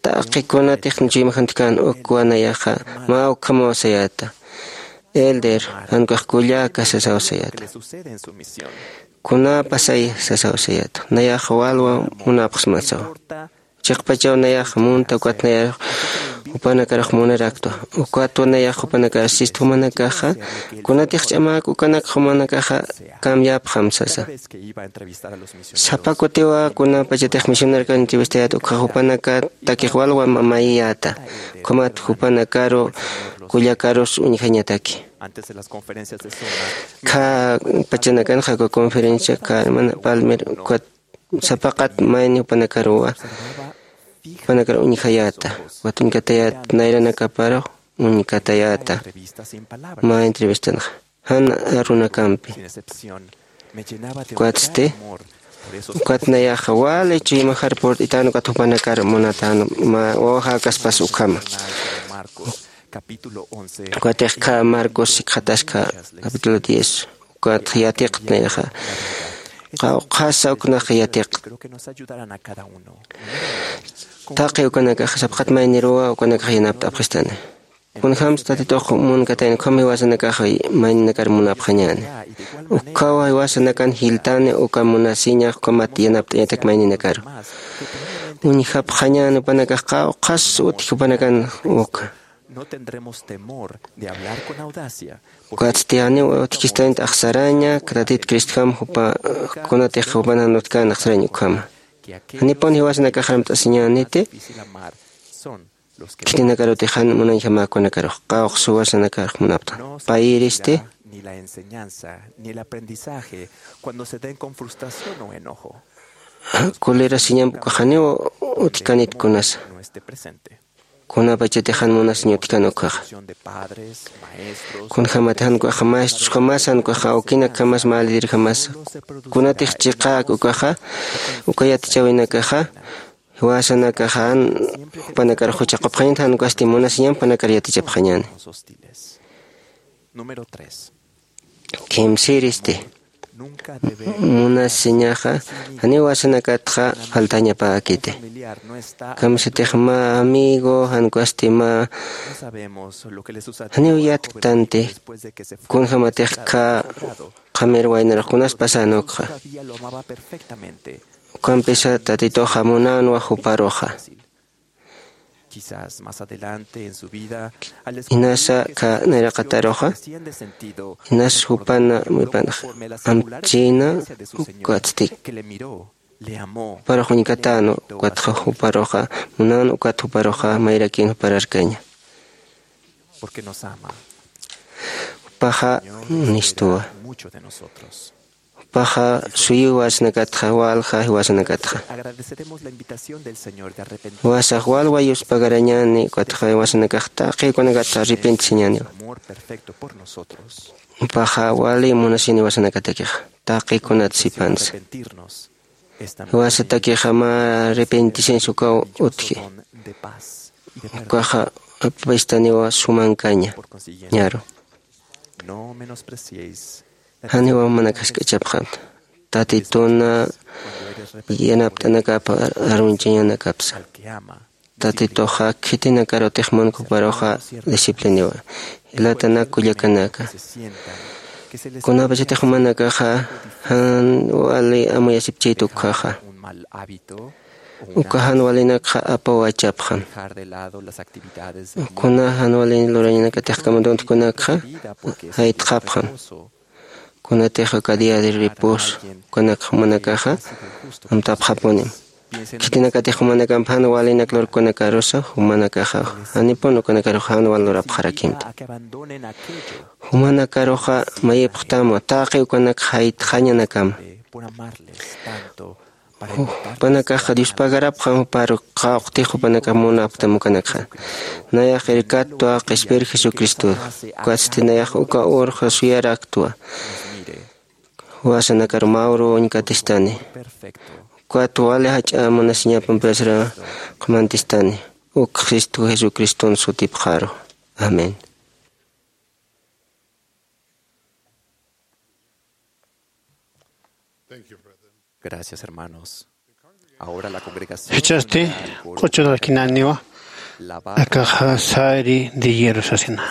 taqi kunatix chuymajantkän ukwa nayaxa mä ukhamaw sayäta. Elder, jan ukax kullaka sasaw sayäta. Kunapasay sasaw sayäta. Nayax walwa munapxsma sasaw. Chiqpachaw nayax munta, ukat nayax jupanakarux munaraktwa. Ukatwa nayax jupanakar sist jumanakaxa, kunatix ch'amäk ukanak jumanakaxa cambiapxam sasa. Sapa kutiwa kunapachatix misionarkan entrevistayät ukxa jupanakatakix walwa mayiyäta. Ukhamat jupanakaru kullakarus uñjañataki. Kha pachanakanxa uka conferencia, kha hermana Palmer, ukat sapaqat mayni jupanakaruwa, jupanakar uñjayäta, ukat uñkatayät nayranakaparux uñkatayäta. Mä entrevistanxa jan arunakampi. Ukatsti, ukat nayaxa wali chuymajar purt'itän ukat jupanakar munatän mä wawajäkaspas ukhama. Ukatix kha Marcos sikxataska capítulo diez. Ukat yatiqtnayxa. Qawqhasa uknaq yatiqt. Taqi ukanakax sapxat mayniruwa ukanakax yanapt'apxistani. Kunjämsa Tatitux munkatayna, ukham jiwasanakax mayninakar munapxañäni. Ukkhaw jiwasanakan jiltani uka munasiñax ukhamat yanapt'añatak mayninakaru. Uñjapxañäni jupanakax qawqhas utji jupanakan uka. Ukatsti janiw utjkistanit axsaraña, Tatit Cristojam jupa, kunatix jupan jan utjkän axsarañ ukhama. Janipun jiwasanakax armt'asiñäniti, khitinakarutix jan munañjamäkunakarux, qawqhas jiwasanakarux munapxtan. Payïristi, kulirasiñamp ukax janiw utjkanit kunasa. Kunapachatix jan munasiñ utjkan ukaxa. Kunjämatix jan ukaxa maestros jamasa, jan ukaxa awkinakamas, mä lider jamasa. Kunatix chiqäk ukaxa, uka yatichäwinakaxa, jiwasanakaxa jan jupanakarux juchaqapxañäni, jan ukasti munasiñamp jupanakar yatichapxañäni. Kimsïristi. Munasiñaxa janiw jiwasanakatxa faltañapäkiti. Kamsatix mä amigo, jan ukasti mä, janiw yatktanti, kunjämatix kha qamir waynarux kunas pasän ukxa. Ukampisa Tatituxa munänwa juparuxa. Inasa kha nayraqataruxa, inas jupana muypanax amchina, ukatsti juparux uñkatänwa, ukatxa juparuxa munän, ukat juparuxa mayrakin jupararkaña. Jupaxa nistuwa. Jupaxa suyiw jiwasanakatxa, walja jiwasanakatxa. Jiwasax walwa yuspagarañäni, ukatxa jiwasanakax taqi ukanakatxa arrepentisiñäniwa. Jupaxa wali munasini jiwasanakatakixa, taqi kunat sipansa. Jiwasatakixa mä arrepentisiñsa ukaw utji. Ukaxa apapistaniwa sumankaña, ñaru. Janiw mana khask'achapxam. Tatituna yanapt'anakap arunchañanakapsa. Tatituxa khitinakar utix munkuparuxa discipliniwa. Jilatanak kullakanaka, kunapachatix jumanakaxa jan wali amuyasipchayta ukhaxa, uka jan walinakxa apawachapxam. Kuna jan walin lurañanakatix kamaduntkunakxa jaytxapxam. Kunatix uka día de reposo ukanakxa jumanakaxa amtapxapunim. Khitinakatix jumanakamp jan walinak lurkunakarusa, jumanakaxa janipun ukanakaruxa jan wal lurapxarakimta. Jumanakaruxa mayipxtamwa taqi ukanak jaytxañanakama. Jupanakaxa Dios pagarapxam juparu qawqtix jupanakax munapxtam ukanakxa. Nayax irkattwa qhispir Jesucristox. Ukatsti nayax uka urxa suyaraktwa. Jiwasanakar mä uru uñkatistani. Ukat wali jach'a munasiñapampirasra qhumantistani. Uk Cristo Jesucriston sutipxaru. Amén. Gracias, hermanos. Ahora la congregación Jichhasti q'uchurakinaniwa akaxa sari de hierro sasina.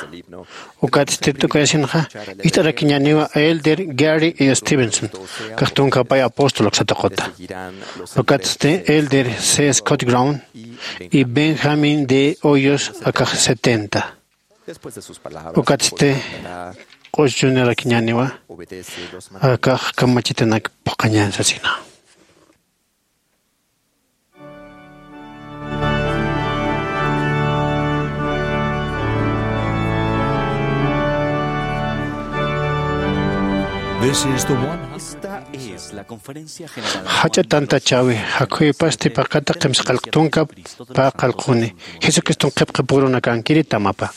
Ukatsti tukayasinxa ist'arakiñaniwa Elder Gary E. Stevenson, kax tunka pay apóstol aksataquta. Ukatsti Elder C. Scott Brown y Benjamin de Hoyos akax setenta. Ukatsti q'uchunirakiñaniwa akax kamachitanak phuqañan sasina. This is the one hundred. Esta es la conferencia general. Jach'a tantachäwi, jakhuypasti paqata qimsa qallq tunka pä qallquni. Jesucriston qhipqipurunakankiri tamapa.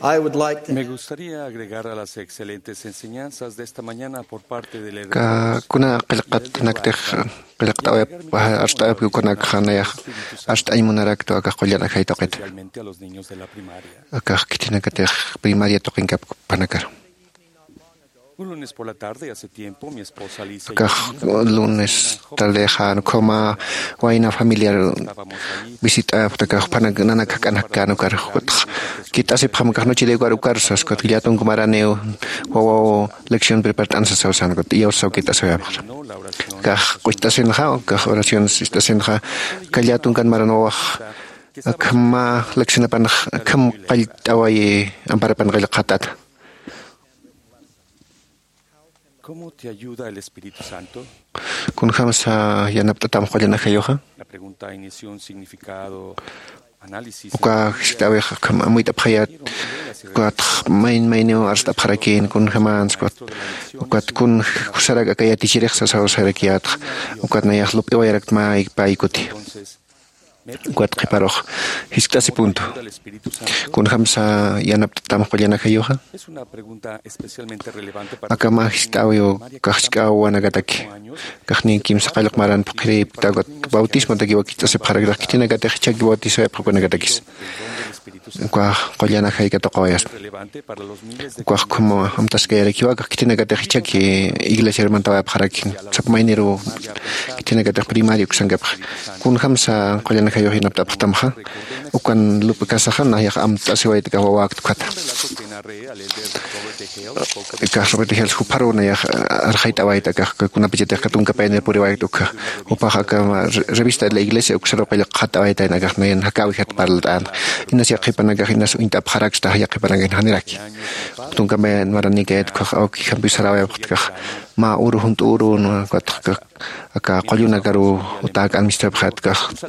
I would like to Me gustaría agregar a las excelentes enseñanzas de esta mañana por parte del Ka hermano kuna qillqatanaktix, qillqt'awayap, arst'awayap ukanakxa nayax arst'añ munaraktwa akax qullan ajay tuqita. Especialmente a los niños de la primaria. Akax khitinakatix primaria tuqinkapkpanakaru. Un lunes por la tarde, hace tiempo, mi esposa Lisa y yo Akax lunes tardexa ukhama wayna familiar visit'apxta, akax jupanak nanak jak'anak kän ukar, ukatx kit'asipxam akax noche de hogar ukar sas, ukat llätunk maraniw wawaw lección prepart'an sasaw san, ukat iyawsaw kit'asawayapxta. Akax q'ucht'asinxa, akax oración ist'asinxa, aka llätunkan maran wawax akham mä leccionapanx akham qallt'awayi amparapan qillqat'ata. ¿Cómo te ayuda el Espíritu Santo? ¿Kunjamsa yanapt'atam qullan ajayuxa? La pregunta inició un significado análisis. Uka jiskt'awix akham amuyt'apxayät, ukatx mayn mayniw arst'apxarakïn kunjamäns, ukat, ukat kun jusarak aka yatichirix sasaw sarakiyätx, ukat nayax lup'iwayarakt mä pay kuti. Ukat qhiparux jiskt'asi punto. ¿Kunjamsa yanapt'atam qullan ajayuxa? Aka mä jiskt'awiw kax jisk'a wawanakataki. Kaxniy kimsa qallq maran phuqhiripkta, ukat bautismotakiw wakicht'asipxarakta, khitinakatix jichhaki bautisoyapxakunakatakis. Ukax qullan ajay katuqawayaspa. Ukax ukham amtaskayarakiwa, akax khitinakatix jichhaki iglesiar mantawayapxarakin. Sapa mayniruw khitinakatix primaria uksankapxi. Kunjamsa qullan ajayux yanapt'apxtamxa, ukan lup'kasaxa nayax amt'asiwayta akax wawäkt ukhata. Akax Robert Hales jupharuw nayax arxayt'awayta, akax kunapachatix aka tunka payanir puriwayta ukxa. Jupax aka re-, revista de la iglesia uksaruw qillqat'awaytayna, akax nayan jakäwijat parlt'änxa. Inas yaqhipanakax inas uñt'apxaraksta, yaqhipanakax janiraki. Tunka payan maranïkayät ukhax awkijampiw saräwayapxtkax mä uru, junt'u uru, ukat aka qullunakaruw utäk'an mistupxät, akax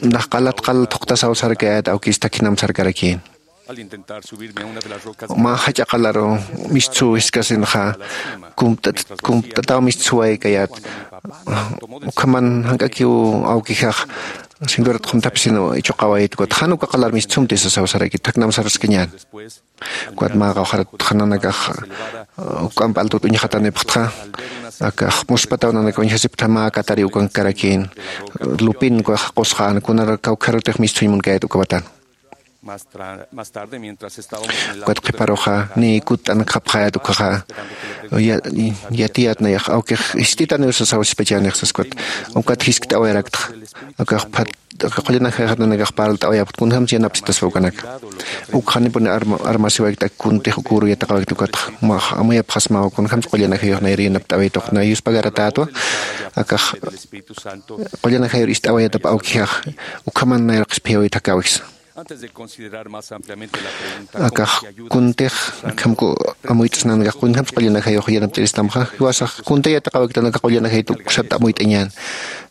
nax qalat qal thuqtasaw sarkayät, awkis thakhinam sarkarakïn. Mä jach'a qalaru mistsuw jiskasinxa, kumpt'at-, kumpt'ataw mistsuwaykayät. Ukhaman jank'akiw awkixax cinturat qumthapisin ichuqawayit, ukat jan uka qalar mistsumti sasaw sarakit, thaknam sarskañän. Ukat mä qawqharat nanakax, uh, juk'amp altut uñxatanipxtxa, akax muspataw nanaka uñjasipxta mä katari ukankarakïn, lupin ukax qusqän, kunar kawkharutix mistsuñ munkayät uka watan. Ukat qhiparuxa niy kutt'ankxapxayät ukhaxa, ya-, yatiyät nayax awkix jist'itaniw sasaw sispachänix sas ukat. Ukat jiskt'awayaraktxa. Akax phat, aka qullan ajayxat nanakax parlt'awayapxta kunjamsa yanapsitaspa ukanaka. Ukxa janipuni arma-, armasiwaykt, ak kuntix uk uru yatiqawaykt ukatxa. Umax amuyapxasmaw kunjamsa qullan ajayux nayri yanapt'awaytux nay yuspagaratätwa. Akax qullan ajayur ist'awayatap awkixax, ukhaman nayar qhispiyawayt jakäwiksa. Akax kuntix, akham ku amuyt'snanakax kunjamsa qullan ajayux yanapt'iristamxa, jiwasax kuntix yatiqawayktana aka qullan ajayt uksat amuyt'añän.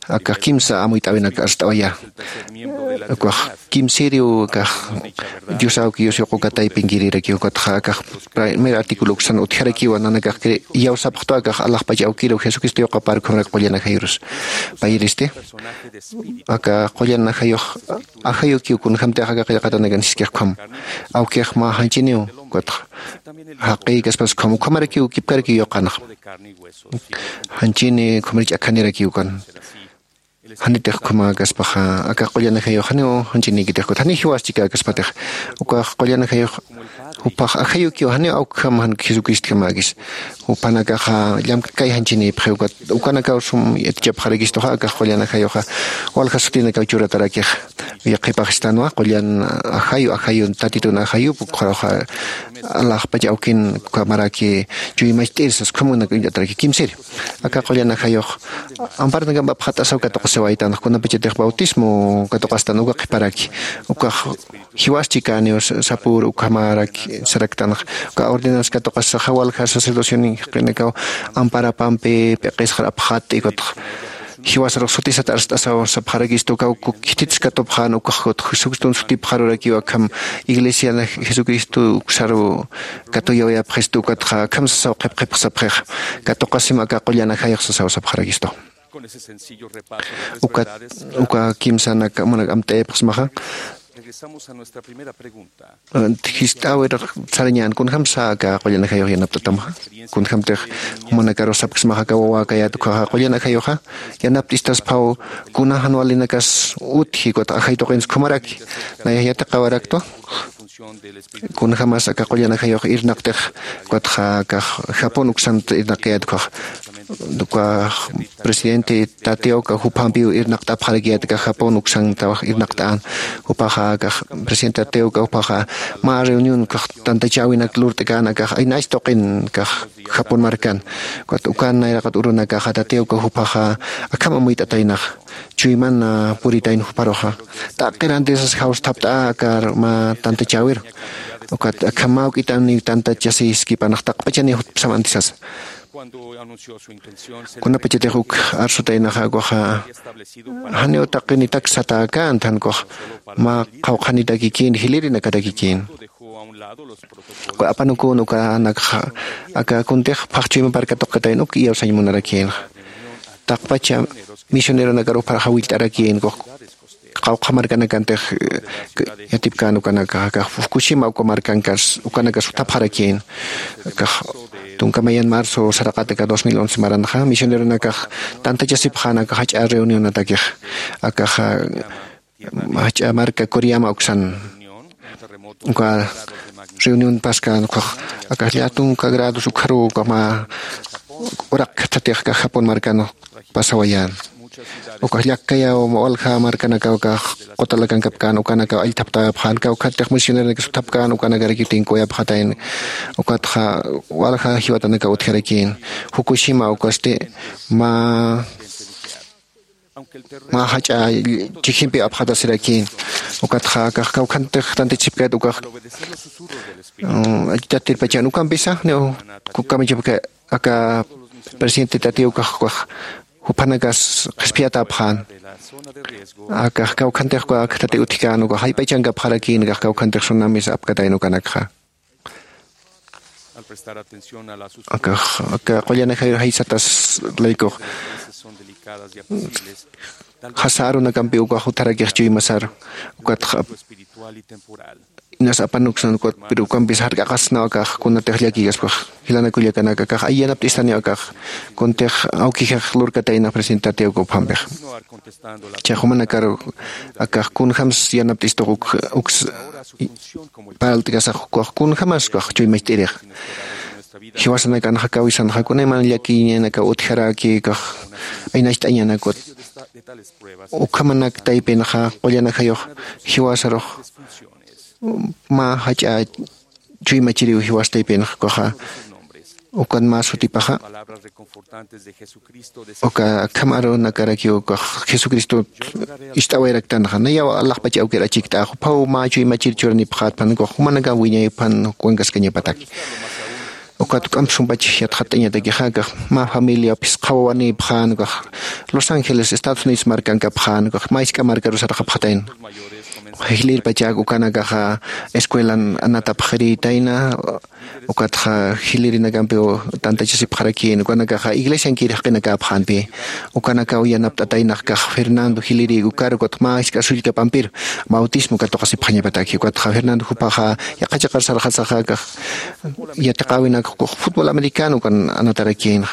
Akax kimsa amuyt'äwinak arst'awayä. Ukax kimsïriw akax Dios awki, Dios yuqu katay pinkirirakiw, ukatxa akax primer artículo uksan utjarakiwa, nanakax cre-, iyawsapxtwa akax alaxpach awkïriw Jesucristo yuqapar ukhamarak qullan ajayurus. Payiristi aka qullan ajayux ajayukiw kunjamtix aka qillqatanakan siskix ukham. Awkix mä janchiniw, ukatxa jaqïkaspas ukham, ukhamarakiw kipkarakiw yuqanxa. Janchini ukhamarich akhanirakiw ukan. Janitix ukhamäkaspaxa, aka qullan ajayux janiw janchinikitix, ukat janiw jiwas chikäkaspatix. Ukax qullan ajayux jupax ajayukiw, janiw awkham, jan Jesucristjamäkis. Jupanakaxa llamktkay janchinïpxi, ukat ukanakaw sum yatichapxarakistuxa, akax qullan ajayuxa walja sutinakaw churatarakix. Yaqhipax istanwa, qullan ajayu, ajayun, tatitun ajayup, ukxaruxa alaxpach awkin ukhamaraki chuymacht'ir sas ukhamunak uñt'ataraki kimsiri. Aka qullan ajayux amparanakamp apxat'asaw katuqasiwaytan, kunapachatix bautismo katuqastan uka qhiparaki. Ukax jiwas chikäniw sa-, sapür ukhamaraki saraktanxa. Uka ordenanza katuqasaxa walja sacerdocioninakaw amparapampi p'iqisxar apxatt'i, ukatxa jiwasarux sutisat arst'asaw sapxarakistu, ukaw khitit katupxän, ukax Jesucristun sutipxarurakiw akham iglesian Jesucristo uksaru katuyawayapxistu, ukatxa akham sasaw qhipqhipx sapxixa. Katuqasim aka qullan ajayux sasaw sapxarakistu. Ukat, uka kimsanak munak amt'ayapxsmaxa. Jist'äwir sarañän kunjämsa aka qullan ajayux yanapt'atamxa, kunjämtix jumanakarux sapksmaxa aka wawäkayät ukhaxa qullan ajayuxa yanapt'istasphaw kuna jan walinakas utji ukat ajay tuqins ukhamaraki. Nayax yatiqawaraktwa kunjämas aka qullan ajayux irnaqtix ukatxa aka japón uksant irnaqkayät ukhax ukax presidente tateoka juphampiw irnaqt'apxarakiyät aka japón uksanta irnaqt'än. Jupaxa aka presidente tateoka jupaxa mä reunión ukax tantachäwinak lurt'kän aka aynach tuqin aka japón markan. Ukat ukan nayraqat urunakaxa tateoka jupaxa akham amuyt'ataynax chuyman puritayna juparuxa t'aqir antisas jawsthapt'a akar mä tantachäwiru. Ukat akham mä juk'itaniw tantachasiskipanx taqpachaniw jutpsam antisasa. Kunapachatix uk arsutaynaxa ukaxa janiw taqinitak satäkänti jan ukax mä qhawqhanitakikïn jilirinakatakikïn. Uka apanukun ukanakxa aka kuntix phaxchuyma parka tuqitayna uk iyawsañ munarakïnxa. Taqpacha misioneronakar uphar jawillt'arakïn ukax qawqha markanakantix yatipkän ukanakax aka fukushima uka markankas ukanakas jutapxarakïn. Akax tunka mayan marzo saraqat aka dos mil once maranxa misioneronakax tantachasipxän aka jach'a reunionatakix akaxa jach'a marka koriyama uksan uka reunión paskän ukax akax llätunka grados ukxaruw uka mä uraq khathatix aka japón markan pasawayän. Ukax llakkayaw walja markanakaw akax qutalakankapkän ukanakaw allthaptayapxän kawkhatix misioneronakis uthapkän ukanakarakiw tinkuyapxatayna. Ukatxa walja jiwatanakaw utjarakïn fukushima ukasti mä mä jach'a chikhimpi apxatasirakïn. Ukatxa akax kawkhantix tantachipkät ukax alltatirpachan ukampisa niw kukamachapka aka presidente tatiw ukax ukax juphanakas qhispiyatäpxän. Akax kawkhantix uka khathati utjkän ukax jayp'achankapxarakïn akax kawkhantix sunamis apkatayna ukanakxa. Akax aka qullan ajayur jaysatas laykux jasa arunakampi ukax utjarakix chuymasar ukatxa inas apanuksan ukat pero ukampis jark'aqasnaw akax kunatix llakikaspax jilanakullakanaka akax ay yanapt'istaniw akax kuntix awkixax lurkataynax presidente tatiw uka uphampix. Chaqhumanakar akax kunjämsa yanapt'istux uks paralt'kasax ukax kunjämas ukax chuymacht'irix jiwasanakanxa kawisanxa kunayman llakiñanakaw utjaraki ukax aynacht'añanakut ukhamanak taypinxa qullan ajayux jiwasarux mä jach'a chuymachiriw jiwas taypinxa ukaxa ukan mä sutipaxa uka akham arunakarakiw ukax jesucristot ist'awayraktanxa nayaw alaxpach awkir achikt'ax uphaw mä chuymachir churanipxätpan ukax jumanakan wiñaypan jukwankaskañapataki. Ukat juk'amp sumpach yatxatt'añatakixa akax mä familia phisqa wawanïpxän ukax los ángeles estados unidos markankapxän ukax mä isk'a markaru sarxapxatayna. Jilïr pachak ukanakaxa escuelan anatapxirïtayna ukatxa jilïrinakampiw tantachasipxarakïn ukanakaxa iglesiankir jaqinakäpxänpi. Ukanakaw yanapt'ataynax kax fernando jilïri ukar ukat mä isk'a sullkapampiru bautismo katuqasipxañapataki ukatxa fernando jupaxa yaqha chiqar sarxasaxa kax yatiqäwinak ukax futbol americano ukan anatarakïnxa.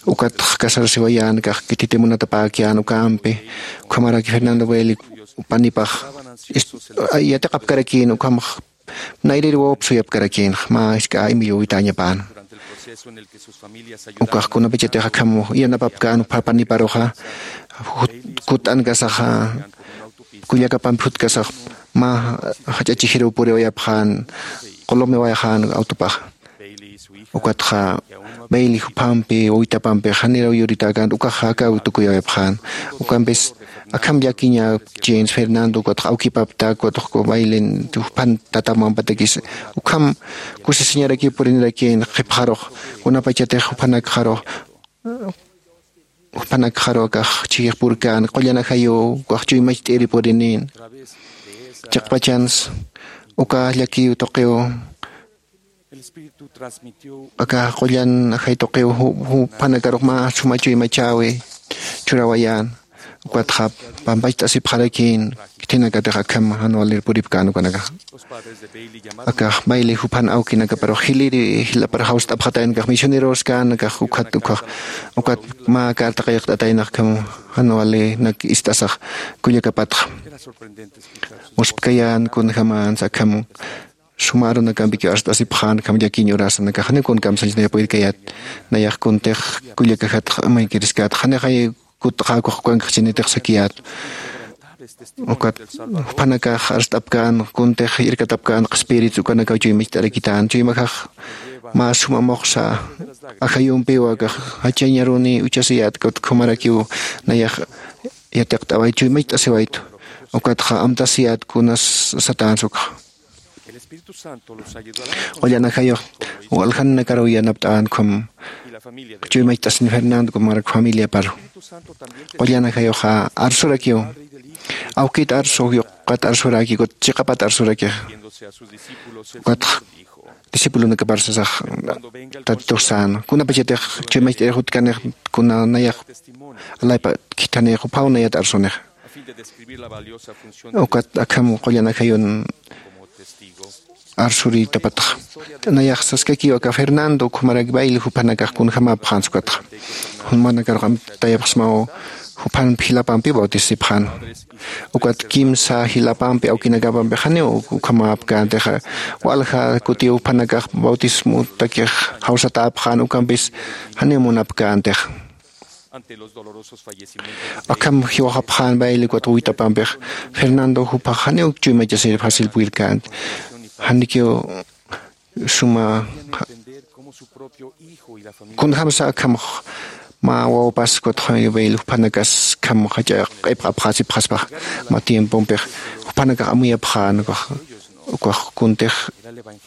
Ukatxa casarsiwayän kax kititi munatapäkiyän ukampi ukhamaraki fernando baile panipax yatiqapkarakïn ukhamax nayrir wawap suyapkarakïnxa mä isk'a imillwawitäñapäna. Ukax kunapachatix akham yanapapkän uphar paniparuxa kut'ankasaxa kullakapampi jutkasax mä jach'a chijiruw puriwayapxän qulumawayxän autopaxa. Ukatxa baile juphampi wawitapampix janiraw yuritäkänti ukaxa akaw tukuywayapxän. Ukampis akham llakiña james fernando ukatxa awkipapta ukatxa bailen juphan tata mamapatakis ukham kusisiñarakiw purinirakïn qhipxarux kunapachatix juphanakxarux juphanakxarux akax chhijix purkän qullan ajayuw ukax chuymacht'iri purinïn. Chiqpachansa uka llakiw tuqiw aka qullan ajay tuqiw juphanakarux mä suma chuymachäwi churawayän. Ukatxa pampacht'asipxarakïn. Khitinakatix akham jan walir puripkän ukanakaxa. Akax baile juphan awkinakaparux jiliri jilapar jawst'apxataynakax misioneros känakax ukhat ukhax ukat mä carta qillqt'ataynaxkham jan walinak ist'asax kullakapatxa. Uspkayän kunjämänsa akham suma arunakampiki arst'asipxän akham llakiñ urasanakax janiw kun kamsañchanaya purirkayät. Nayax kuntix kullakajatx amaykiriskät janixay kutxäkux ukankxchinitix sakiyät. Ukat jupanakax arst'apkän kuntix irkatapkän qhispirit ukanakaw chuymacht'arakitän chuymajax mä suma muxsa ajayumpiw akax jachañaruni uchasiyät kut khumarakiw nayax yatiqt'awayt chuymacht'asiwaytu. Ukatxa amtasiyät kunas satänsa ukxa. Qullan ajayux waljananakaruw yanapt'änkxam. Chuymacht'asin fernando kumarak familiaparu. Qullan ajayuxa arsurakiw. Awkit arsu yuqat arsurakikut chiqapat arsurakix. Ukatx discipulonakapar sasax tatitux sän kunapachatix chuymacht'irix utkanix kuna nayax alaypa khithanix juphaw nayat arsunix. Ukat akham qullan ajayun arsuritapatxa. Nayax saskakiw aka fernando ukhumarak baile juphanakax kunjämäpxänsa ukatxa. Jumanakarux amtayapxsmaw juphanp jilapampiw bautisasipxän. Ukat kimsa jilapampi awkinakapampix janiw ukhamäpkäntixa. Walja kutiw juphanakax bautismutakix jawsatäpxän ukampis janiw munapkäntixa. Akham jiwxapxän baile ukat wawitapampix fernando juphax janiw chuymachasir facil puyirkänti. Janikiw suma kunjämsa akhamx mä wawapas ukatxa baile juphanakas akham jach'a q'ipxapxasipxaspax mä tiempompix juphanakax amuyapxän ukax ukax kuntix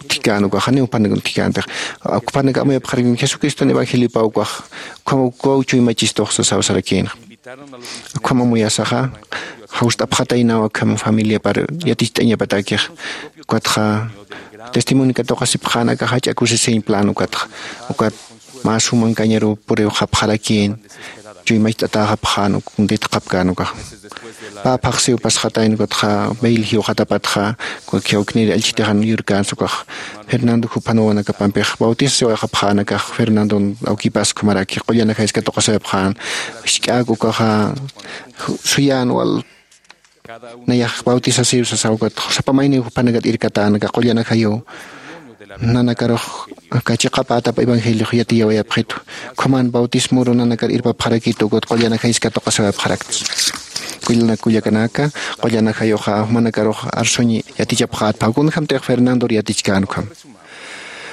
thikän ukax janiw juphanak thikäntix. Juphanak amuyapxarakin jesucriston evangeliopaw ukax ukhamaw ukaw chuymachistux sasaw sarakïnxa. Ukham amuyasaxa jawst'apxataynaw akham familiapar yaticht'añapatakix. Ukatxa testimonio katuqasipxän aka jach'a kusisiñ plan ukatxa. Ukat mä sumankañaruw puriwxapxarakïn. Chuymacht'atäxapxän uk kuntitxapkän ukax. Pä phaxsiw pasxatayna ukatxa bail jiwxatapatxa. Ukakiw uknir allchhitixan yurkänsa ukax fernando juphan wawanakapampix bautisasiwayxapxän akax fernandon awkipas ukhamaraki qullan ajayis katuqasiwayapxän. Jisk'äk ukaxa suyän wal nayax bautisasiw sasaw ukat sapa mayniw jupanakat irkatän aka qullan ajayuw nanakarux aka chiqapätap evangeliox yatiyawayapxitu. Ukhaman bautismuru nanakar irpapxarakitu ukat qullan ajayis katuqasiwayapxarakta. Kullanak kullakanaka qullan ajayuxa jumanakarux arsuñ yatichapxätpa kunjämtix fernandor yatichkän ukham.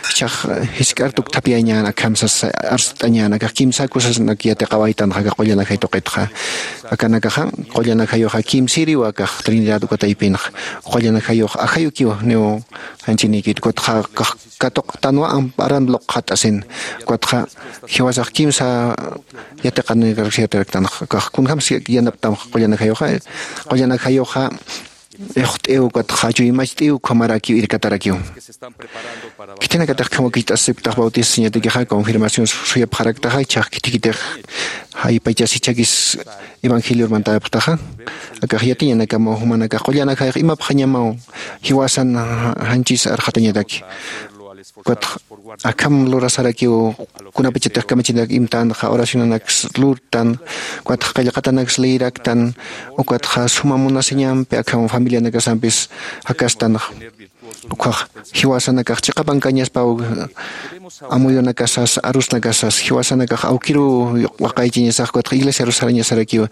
Jichhax jisk'ar tukthapiyañän akham sasa arst'añän akax kimsa kusasanak yatiqawaytanxa aka qullan ajay tuqitxa. Akanakaxa qullan ajayuxa kimsiriw akax trinidad uka taypinxa. Qullan ajayux ajayukiw niw janchinikit ukatxa katuqtanwa aran luqxat'asin. Ukatxa jiwasax kimsa yatiqanakaraksiyataraktanxa akax kunjämsa yanaptamxa qullan ajayuxa. Qullan ajayuxa ixt'iw ukatxa chuymacht'iw ukhamarakiw irkatarakiw. Khitinakatix khamakicht'asipktax bautisasiñatakixa confirmación suyapxaraktaxa ichhax khitikitix jaypachas ichhakis evangelior mantayapxtaxa. Akax yatiñanakamaw jumanakax qullan ajayux imapxañamaw jiwasan janchis arxatañataki. Ukatxa akham lurasarakiw kunapachatix kamachinak imtanxa oracionanaks lurtan ukatxa qillqatanaks leeraktan. Ukatxa suma munasiñampi akham familianakasampis jakastanxa. Ukhax jiwasanakax chiqapankañaspaw amuyunakasas arusnakasas jiwasanakax awkiruw waqaychiñasax ukatxa iglesiarus sarañasarakiw.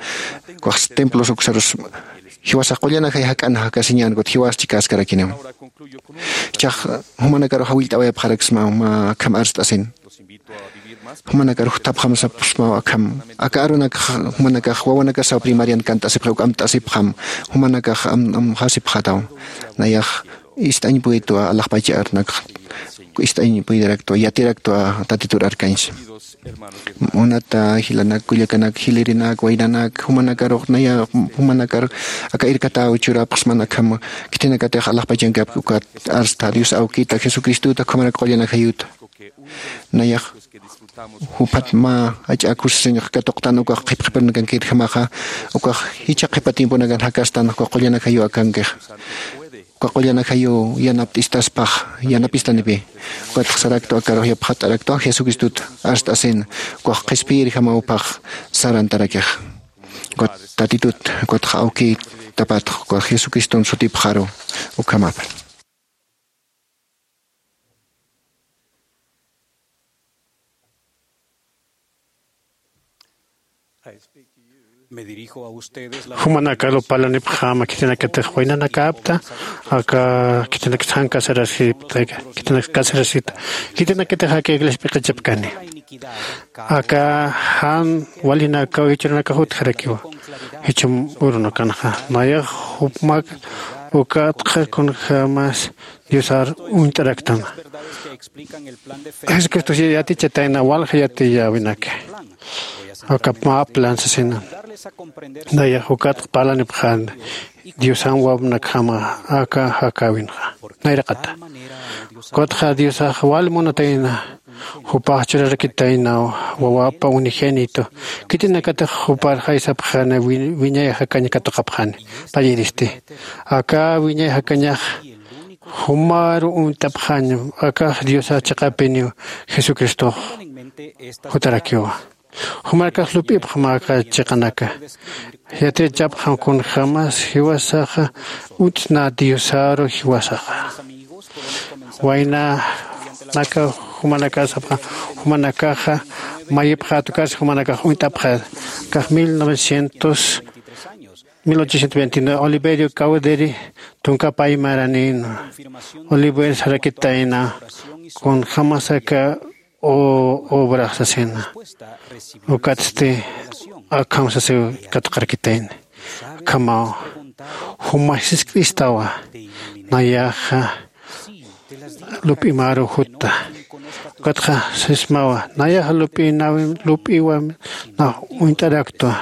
Ukhax templos uksarus jiwasax qullan ajay jak'an jakasiñän ukatxa jiwas chikäskarakiniw. Jichhax jumanakarux jawillt'awayapxaraksmaw mä akham arst'asin. Jumanakarux thapxamsapxsmaw akham aka arunakax jumanakax wawanakasaw primarian kant'asipxi uk amt'asipxam. Jumanakax amxasipxataw nayax ist'añ puytwa alaxpach arunakax ist'añ puytaraktwa yatiraktwa tatitur arkañsa. Munata jilanak kullakanak jilirinak waynanak jumanakarux naya jumanakar aka irkatäw churapxsman akham khitinakatix alaxpachankapki ukat arsta dios awkita jesucristuta ukhamarak qullan ajayuta. Nayax Juphat mä ach'akusisiñax katuqtan ukax qhipqhiparnakankirjamaxa. Ukax jichha qhipa tiemponakan jakastan ukax qullanakayu akankixa. Ukax qullanakayu yanapt'istaspax yanapistanipi. Ukatxa saraktu akarux yapxat'araktu jesucristut arst'asin. Ukax qhispiyirjamawpax sarantarakixa. Ukat tatitut ukatxa awkitapatx ukax jesucriston sutipxaru. Ukhamapar. Jumanakaru parlanipxäma khitinakatix waynanakapta aka khitinakatix jan casarasipta khitinakatix aka iglesia p'iqichapkani. Aka jan walinakaw jichhürunakax utjarakiwa. Jichham urunakanxa nayax jupmak ukatxa kunjämas diosar uñt'araktama. Jesucristo yatichatayna walja yatiyäwinaki. Aka mä plan sasina. Nayax ukatxa parlanipxän diosan wawinakjama aka jakäwinxa nayraqata. Ukatxa diosax wal munatayna jupax churarakitaynaw wawapa unigénito. Khitinakatix jupar jaysapxäna wiñay jakañ katuqapxäni. Payiristi aka wiñay jakañax jumaru uñt'apxäñ. Akax diosax chiqapiniw jesucristox jutarakiwa. Jumarakax lup'ipxam aka chiqanaka. Yatichapxam kunjämas jiwasaxa uñt'snä diosaru jiwasaxa. Waynanaka jumanakax sapxam jumanakaxa mayipxät ukarsa jumanakax uñt'apxät. Akax mil novecientos mil ochocientos veintinueve oliverio cawderi tunkapaymaranïnwa. Oliver sarakitayna kunjämas aka obrax sasina. Ukatsti akham sasiw katuqarakitayni. Akhamaw juma sisk'istawa nayaxa lup'imaru jutta. Ukatxa sismawa nayaxa lup'inawim lup'iwam nax uñt'araktwa.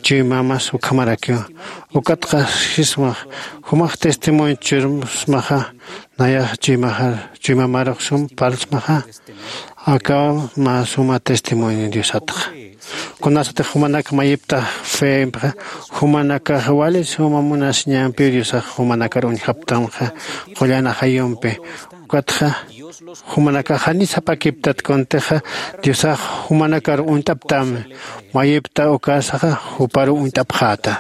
Chuymamas ukhamarakiwa. Ukatxa sismax jumax testimonio churmasmaxa nayax chuymaxar chuymamarux sum parlsmaxa. Akaw mä suma testimonio diosatxa. Kunasatix jumanak mayiptax fempxa jumanakax wali suma munasiñampiw diosax jumanakar uñjaptamxa. Qullan ajayumpi ukatxa jumanakax jani sapakiptat kuntixa diosax jumanakar uñt'aptam. Mayipta ukasaxa juparu uñt'apxäta.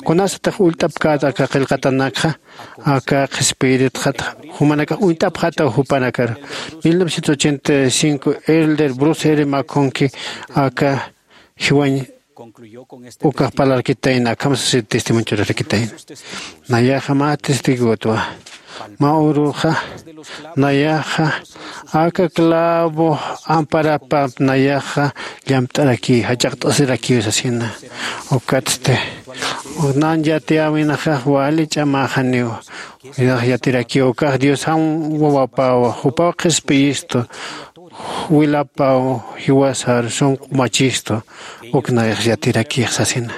Kunasatix ullt'apkät aka qillqatanakxa aka qhispiyiritxat jumanakax uñt'apxätaw jupanakar. Mil novecientos ochenta y cinco elder bruce r maconki aka jiwañ ukax parlarkitayna akham sasi testimonio churarakitayna. Nayaxa mä testigotwa. Mä uruxa nayaxa aka clavo amparapap nayaxa llamt'arakiw jach'aqt'asirakiw sasina. Ukatsti nan yatiyäwinaxax wali ch'amäxaniw. Nax yatirakiw ukax diosan wawapaw jupaw qhispiyistu wilapaw jiwasar sunq'umachistu. Uk nayax yatirakix sasina.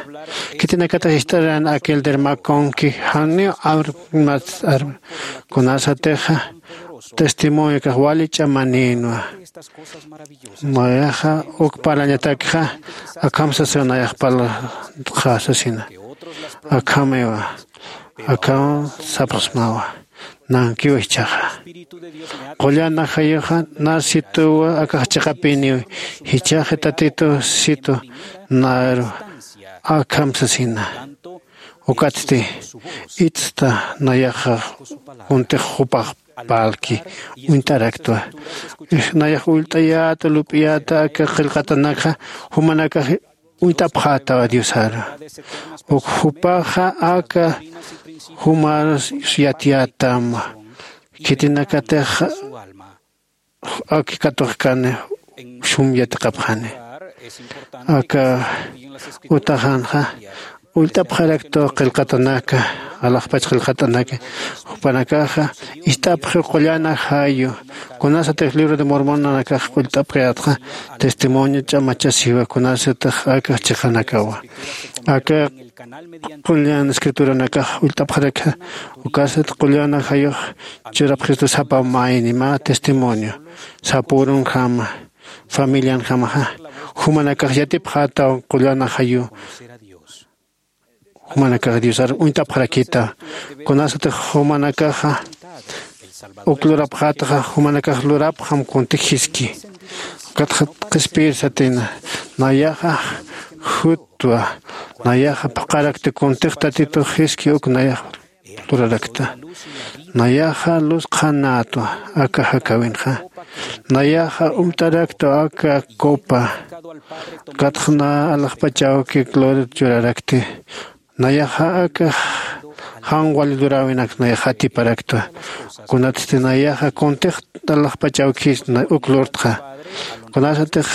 Khitinakatix ist'aran aquel dermaconki janiw armat arma kunasatixa testimoniokax wali ch'amanïnwa. Nayaxa uk parlañatakxa akham sasiw nayax parlantxa sasina. Akhamiwa akham sapxsmawa. Nankiw jichhaxa qullan ajayuxa narsituwa akax chiqapiniw jichhaxi tatitu situ naru akham sasina. Ukatsti itsta nayaxa kuntix jupax parlki uñt'araktwa. Nayax ullt'ayäta lup'iyäta aka qillqatanakxa jumanakax uñt'apxätawa diosaru. Uk jupaxa aka jumar yatiyätam khitinakatix aki katuxkani sum yatiqapxani. Aka utaxanxa ullt'apxaraktu qillqatanaka alaxpach qillqatanaka jupanakaxa ist'apxiw qullan ajayu. Kunasatix libro de mormonanakax ullt'apkayätxa testimonio ch'amachasiwa kunasatix aka chiqanakawa aka qullan escrituranakax ullt'apxarakxa. Ukasat qullan ajayux churapxistu sapa mayni mä testimonio sapürunjama. familianjamaxa jumanakax yatipxätaw qullanaxayu. Jumanakax diosar uñt'apxarakïta. Kunasatix jumanakaxa uk lurapxätaxa jumanakax lurapxam kuntix jiski. Ukatxa qhispiyir satina, nayaxa jutwa, nayaxa phuqharakta kuntix tatitux jiski uk nayax lurarakta. Nayaxa luz qhanätwa aka jakäwinxa. Nayaxa umt'araktwa aka copa. Ukatxa na alaxpachawki gloria churarakti. Nayaxa aka jan wali luräwinak nayax atiparaktwa. Kunatsti nayaxa kuntix alaxpachawkis uk lurtxa. Kunasatix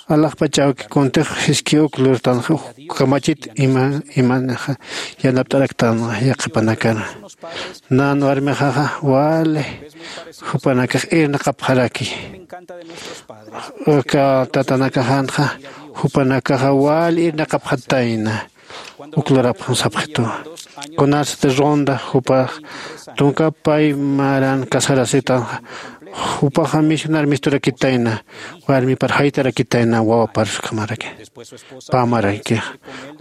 alaxpachawki kuntix jiski uk lurtanxa, kamachit ima imanixa yanapt'araktan yaqhipanakana. Nan warmixaxa wali jupanakax irnaqapxaraki. Aka tatanakaxanxa jupanakaxa wali irnaqapxatayna. Uk lurapxam sapxitu. Kunasati ronda jupax tunka pay maran casarasitanxa, jupaxa misionar misturakitayna, warmipar jaytarakitayna wawapar ukhamaraki. Pamarakixa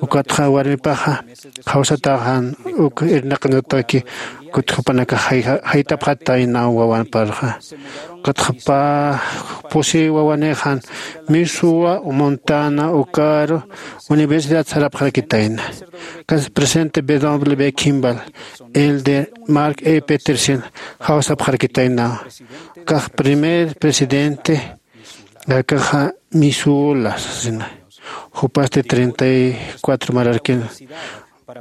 ukatxa warmipaxa jawsataxan uk irnaqanataki. Kut jupanakax jaytapxatayna wawanparxa. Ukatxa pä pusi wawanixan misuwa montana ukaru universidad sarapxarakitayna. Kas presente bw kimball, el de mark e petersen jawsapxarakitayna. Kax primer presidente akaxa misula sasina. Jupasti treinta y cuatro mararkin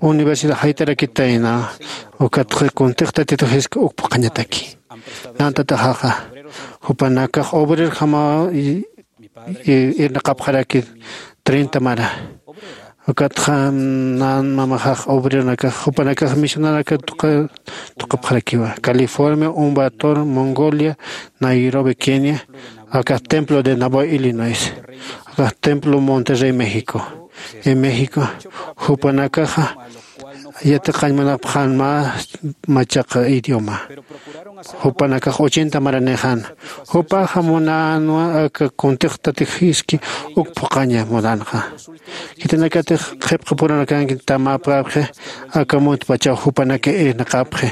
universidad jaytarakitayna. Ukatxa kuntix tatituxiska uk phuqhañataki. Nantataxaxa jupanakax obrerjamaw irnaqapxaraki. Treinta mara. Ukatxa nan mamaxax obreronakax jupanakax misionaraka tuqapxarakiwa california umbator mongolia, nairobi kenia, akax templo de nabo illinois, akax templo monterrey méxico. En méxico jupanakaxa yatiqañmanapxan mä machaqa idioma. Jupanakax ochenta maranixan. Jupaxa munänwa aka kuntix tatix jiski uk phuqhaña munänxa. Khitinakatix qhipqapuranakanki tamapkapxi. Aka muntpachaw jupanaka irnaqapxi.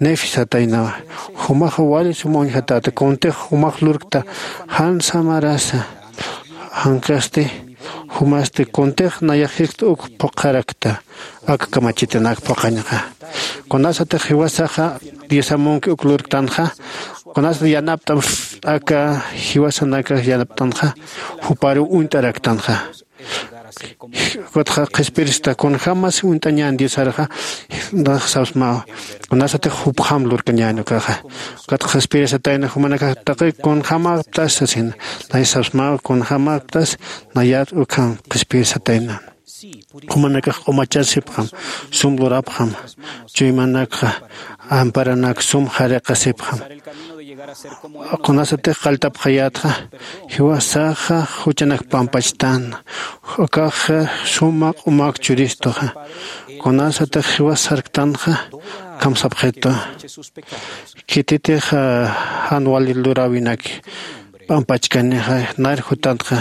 Nefi sataynawa. Jumaxa wali sum uñjatäta kuntix jumax lurkta jan samarasa. Jankasti jumasti kuntix nayax jiskta uk phuqharakta. Aka kamachitanak phuqhañxa. Kunasatix jiwasaxa diosamunki uk lurktanxa. Kunasat yanapt'am aka jiwasanakax yanapt'anxa. Juparu uñt'araktanxa. Ukatxa qhispirista kunjämas uñt'añän diosarxa. Nax sapsmaw kunasatix jupjam lurkañän ukaxa. Ukatxa qhispirisatayna jumanakax taqi kunjämäptas sasina. Nay sapsmaw kunjämäptas. Nayat ukham qhispirisatayna. Jumanakax q'umachasipxam, sum lurapxam, chuymanakxa amparanak sum jariqasipxam. Kunasatix qalltapxayätxa jiwasaxa juchanak pampachtan. Akaxa suma q'umak churistuxa. Kunasatix jiwas sarktanxa kamsapxitu. Khititix jan wali luräwinaki p'ampachkanixa nar jutantxa.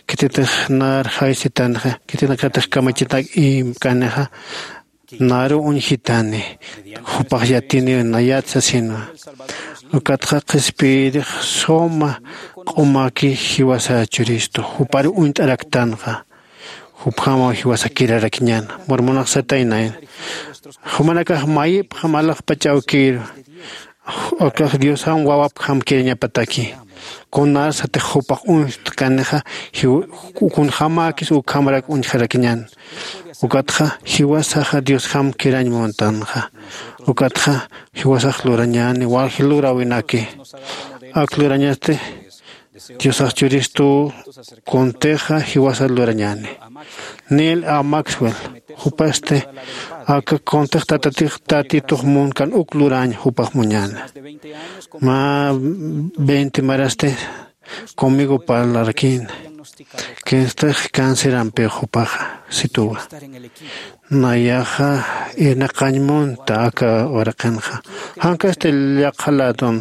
Khititix nar jaysitanxa khitinakatix kamachitak imkanixa. Naru uñjitani jupax yatini nayat sasinwa. Ukatxa qhispiyirix suma q'umaki jiwasa churistu juparu uñt'araktanxa. Jupjamaw jiwasakirarakiñan murmunaxsataynayn. Jumanakax mayipxam alaxpach awkir ukax diosam wawapjam kirañapataki. Kunarsatix jupax uñjtkanixa kunjämäkis ukhamrak uñjarakiñan. Ukatxa jiwasaxa diosjam kirañ muntanxa. Ukatxa jiwasax lurañäni walji luräwinaki. Ak lurañasti diosax churistu kuntixa jiwasa lurañäni. Nil a maxwell jupasti aka kuntix tatatix tatitux munkan uk lurañ jupax muñäna. Mä veinte marasti conmigo parlarakïna. Kinstix cancerampiw jupaxa situwa. Nayaxa irnaqañ munta aka uraqinxa. Jankasti llaqha ladon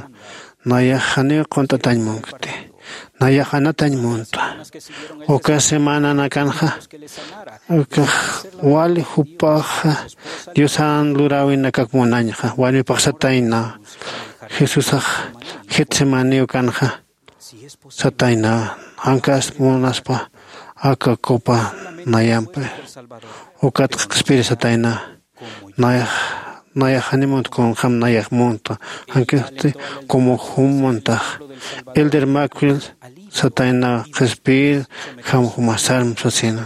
nayax janiw qunt'atañ munkti. Nayax anatañ munta. Uka semananakanxa ukax wali jupaxa diosan luräwinakak munañxa walipax satayna. Jesusax getsemaniw kanxa satayna. Jankas munaspa aka copa nayampi ukatxa qhispiri satayna. Nayax nayax janimunt kunjam nayax munta. Jankasti como jum muntax elder macwil satayna qhispir jam jumasarm sasina.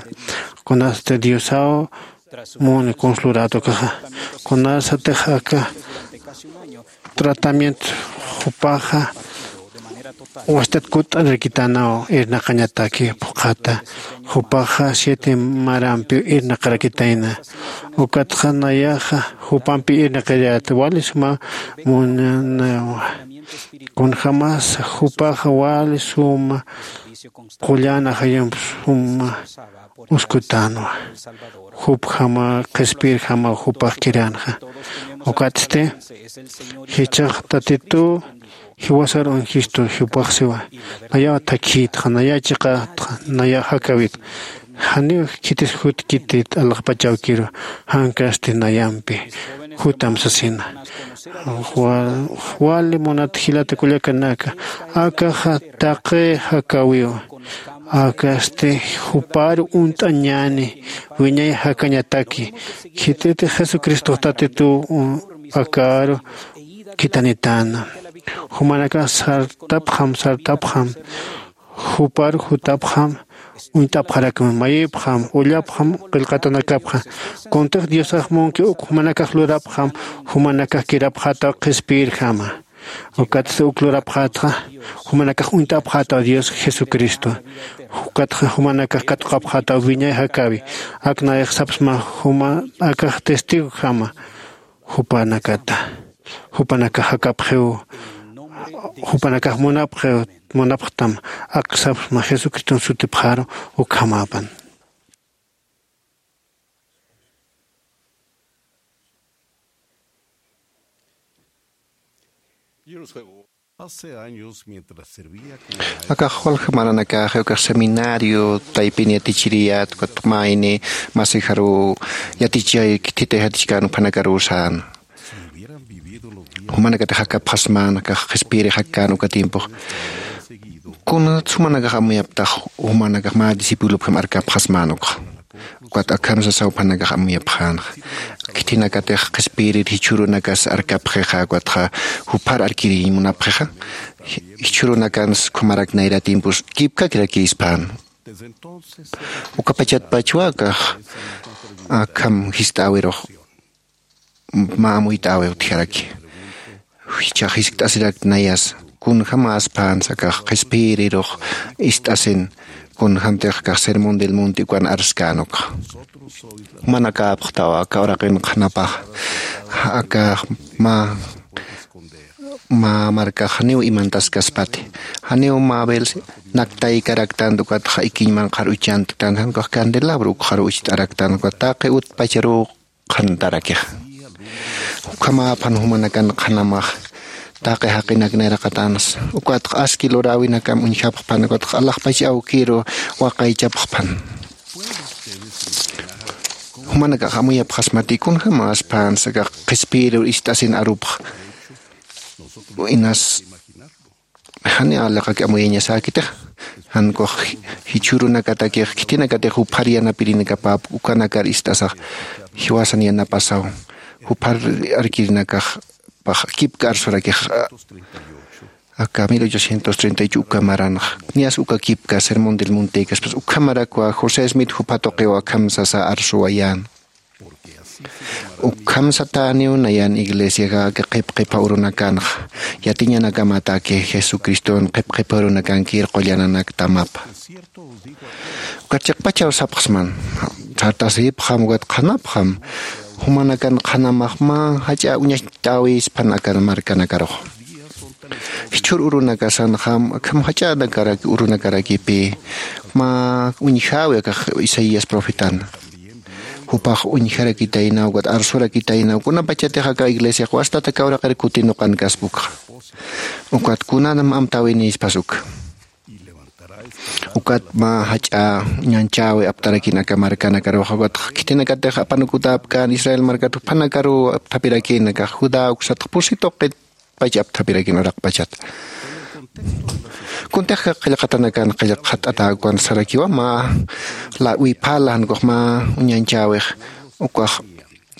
Kunasti diosaw muni kunsluratukaxa kunasatix aka tratamiento jupaxa wastat kutt'arirkitanaw irnaqañataki phuqhata. Jupaxa siete marampiw irnaqarakitayna. Ukatxa nayaxa jupampi irnaqiriyäta wali suma munanawa. Kunjämas jupaxa wali suma qullan ajayump suma uskutänwa. Jupjama qhispirjama jupax kiränxa. Ukatsti jichhax tatituw jiwasar unjistu jupax siwa. Nayaw thakhïtxa nayaw chiqätxa nayaw jakäwitxa. Janiw khitis jutkitit alaxpach awkiru jankasti nayampi jutam sasina. Wali munat jilata kullakanaka akaxa taqi jakäwiw. Akasti jupar uñt'añäni wiñay jakañataki. Khititix jesucristox tatituw akaru khithanitäna. Jumanakax sartapxam sartapxam jupar jutapxam uñt'apxarakma mayipxam ullapxam qillqatanakapxa. Kuntix diosax munki uk jumanakax lurapxam jumanakax kirapxätaw qhispiyirjama. Ukatsti uk lurapxätxa jumanakax uñt'apxätaw dios jesucristo. Ukatxa jumanakax katuqapxätaw wiñay jakäwi. Ak nayax sapxsma juma akax testigojama jupanakata jupanakax jakapxiw jupanakax munapxiw. Munapxtam ak sapxsma jesucriston sutipxaru. Ukhamäpan. Akax walja maranakaxi ukax seminario taypin yatichiriyät ukat mayni masijaruw yatichay khithitay jatichkän juphanakaruw sän. Jumanakatix jakapxasmän akax qhispiyirix jakkän uka tiempox. Kunat jumanakax amuyaptax jumanakax mä discipulopjam arkapxasmän ukxa. Ukat akham sasaw juphanakax amuyapxänxa. Khithinakatix qhispiyirir jichhürunakas arkapxixa ukatxa juphar arkiriñ munapxixa. Jichhürunakans ukhamarak nayra tiempos kipkakirakïspän. Ukapachatpachwa akax akham jist'äwirux mä amuyt'äwi utjaraki. Jichhax jiskt'asirak nayas kunjämäspänsa akax qhispiyirirux ist'asin kunjämtix akax sermón del monte ukan arskän ukxa. Jumanakäpxtaw aka uraqin qhanapax akax mä mä markax janiw imantaskaspati. Janiw mä bel naktaykaraktanti ukatxa ikiñ manqhar uchantktanti jan ukax candelabro ukxaruw ucht'araktanti ukat taqi utpacharuw qhantarakixa. Ukhamäpan jumanakan qhanamax taqi jaqinak nayraqatansa ukatxa aski luräwinakam uñjapxpan ukatxa alaxpach awkiru waqaychapxpan. Jumanakax amuyapxasmati kunjämäspänsa akax qhispiyirur ist'asin arupxa. Inas jani aliqak amuyañasäkitix jan ukax jichhürunakatakix khithinakatix juphar yanapirinakapäp ukanakar ist'asax jiwasan yanapasaw juphar arkirinakaxpax kipka arsurakixa. Aka mil ochocientos treinta y ocho uka maranxa niyas uka kipka sermón del montekaspas ukhamarakwa josé smith jupha tuqiw akham sasa arsuwayän. Ukham satäniw nayan iglesiaxa aka qhipqhipha urunakanxa yatiñanakamataki jesucriston qhipqhipha urunakankir qullananaktamapa. Ukat chiqpachaw sapxsman sartasipxam ukat qhanapxam jumanakan qhanamax mä jach'a uñacht'äwispan aka markanakarux. Jichhür urunakasanxam akham jach'anakaraki urunakarakipï mä uñjäwi akax isaías profetana. Jupax uñjarakitaynaw ukat arsurakitaynaw kunapachatix aka iglesiax wastata kawraqir kutinuqankaspa ukxa. Ukat kunanam amtäwinispas uka Ukat mä jach'a ñanchäwi aptarakin aka markanakarux, ukatx khitinakatix apanukutäpkän Israel markat juphanakaruw apthapirakïn, akax Judá uksatx pusi tuqitpach apthapirakin uraqpachat. Kuntix qillqatanakan qillqat'atäkwan sarakiwa mä lawiphala jan ukux mä uñanchäwix, ukax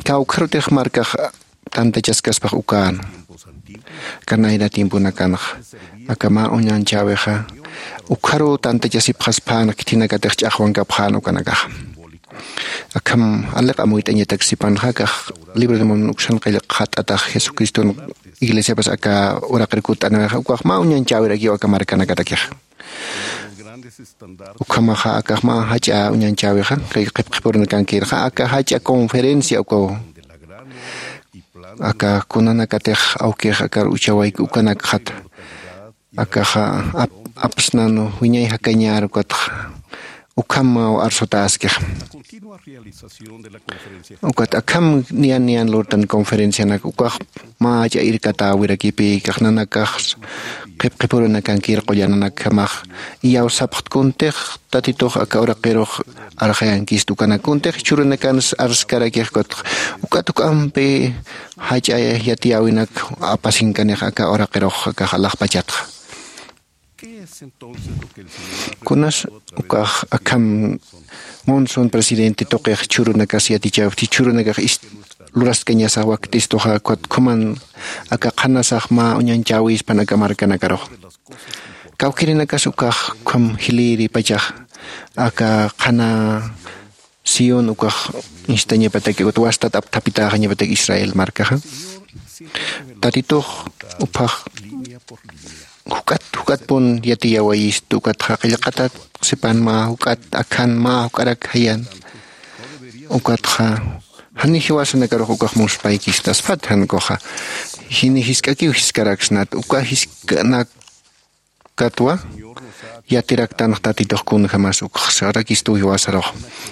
kawkharutix markax tantachaskaspax ukän. Aka nayra tiemponakanxa aka mä uñanchäwixa ukxaruw tantachasipxaspän, khitinakatix ch'axwankapxän ukanakaxa. Akham aliq amuyt'añatak sipanxa akax libro de Mormon uksan qillqat'atax Jesucriston iglesiapas aka uraqir kutt'anixa ukax mä uñanchäwirakiw aka markanakatakixa. Ukhamaxa akax mä jach'a uñanchäwixa qillqipxipurunakankirxa aka jach'a conferencia ukaw aka kunanakatix awkix akar uchawayki ukanakxat akaxa apsnan wiñay jakañär ukatxa ukhamaw arsutäskix. Ukat akham niyan niyan lurtan conferencianak ukax mä jach'a irkatäwirakipïkax nanakax qhipqhipurunakankir qullananakjamax iyawsapxt kuntix tatitux aka uraqirux arxayankist ukanak kuntix jichhürunakansa arskarakix ukatx ukat juk'ampi jach'a yatiyäwinak apasinkanix aka uraqirux akax alaxpachatxa. Kunas ukax akham monson presidente tuqix jichhürunakas yatichäwipti jichhürunakax luraskañasax wakt'istuxa ukat khuman aka qhanasax mä uñanchäwispan aka markanakarux kawkirinakas ukax ukham jilïripachax aka qhana sión ukax instañapataki ukat wastat apthapitäxañapataki Israel markaxa tatitux uphax juk'at juk'atpun yatiyawayistu ukatxa qillqatat sipan mä juk'at akhan mä juk'arak jayan ukatxa jani jiwasanakarux ukax muspaykistaspat jan ukaxa jini jisk'akiw jiskaraksnat uka jisk'anak katwa yatiraktanx tatitux kunjämas ukxsarakistuw jiwasarux.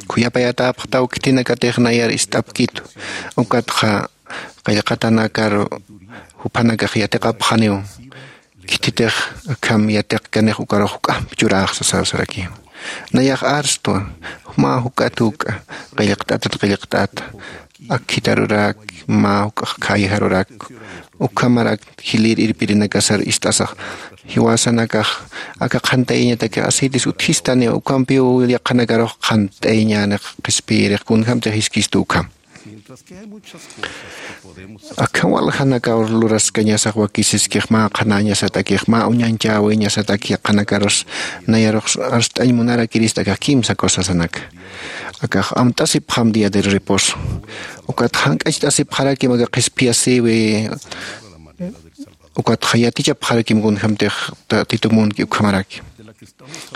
Khuyapayatäpxtaw khitinakatix nayar ist'apkitu ukatxa qillqatanakar juphanakax yatiqapxaniw khititix akham yatiqkanix ukarux juk'amp churäxsa sasarakiw. Nayax arstwa mä juk'at juk'a qillqt'atat qillqt'ata akhitarurak mä juk'ax khayjarurak ukhamarak jilïr irpirinakasar ist'asax jiwasanakax aka qhant'ayañatakix aceites utjistaniw ukhampiw yaqhanakarux qhant'ayañänix qhispiyirix kunjämtix jiskistu ukham. Akham waljanakaw luraskañasax wakisiskix mä qhanäñasatakix mä uñanchäwiñasatak yaqhanakarus nayarux arst'añ munarakirista akax kimsa cosasanaka akax amt'asipxam día de reposo ukat jank'acht'asipxarakim aka qhispiyasïwi ukatxa yatichapxarakim kunjämtix tatitu munki ukhamaraki.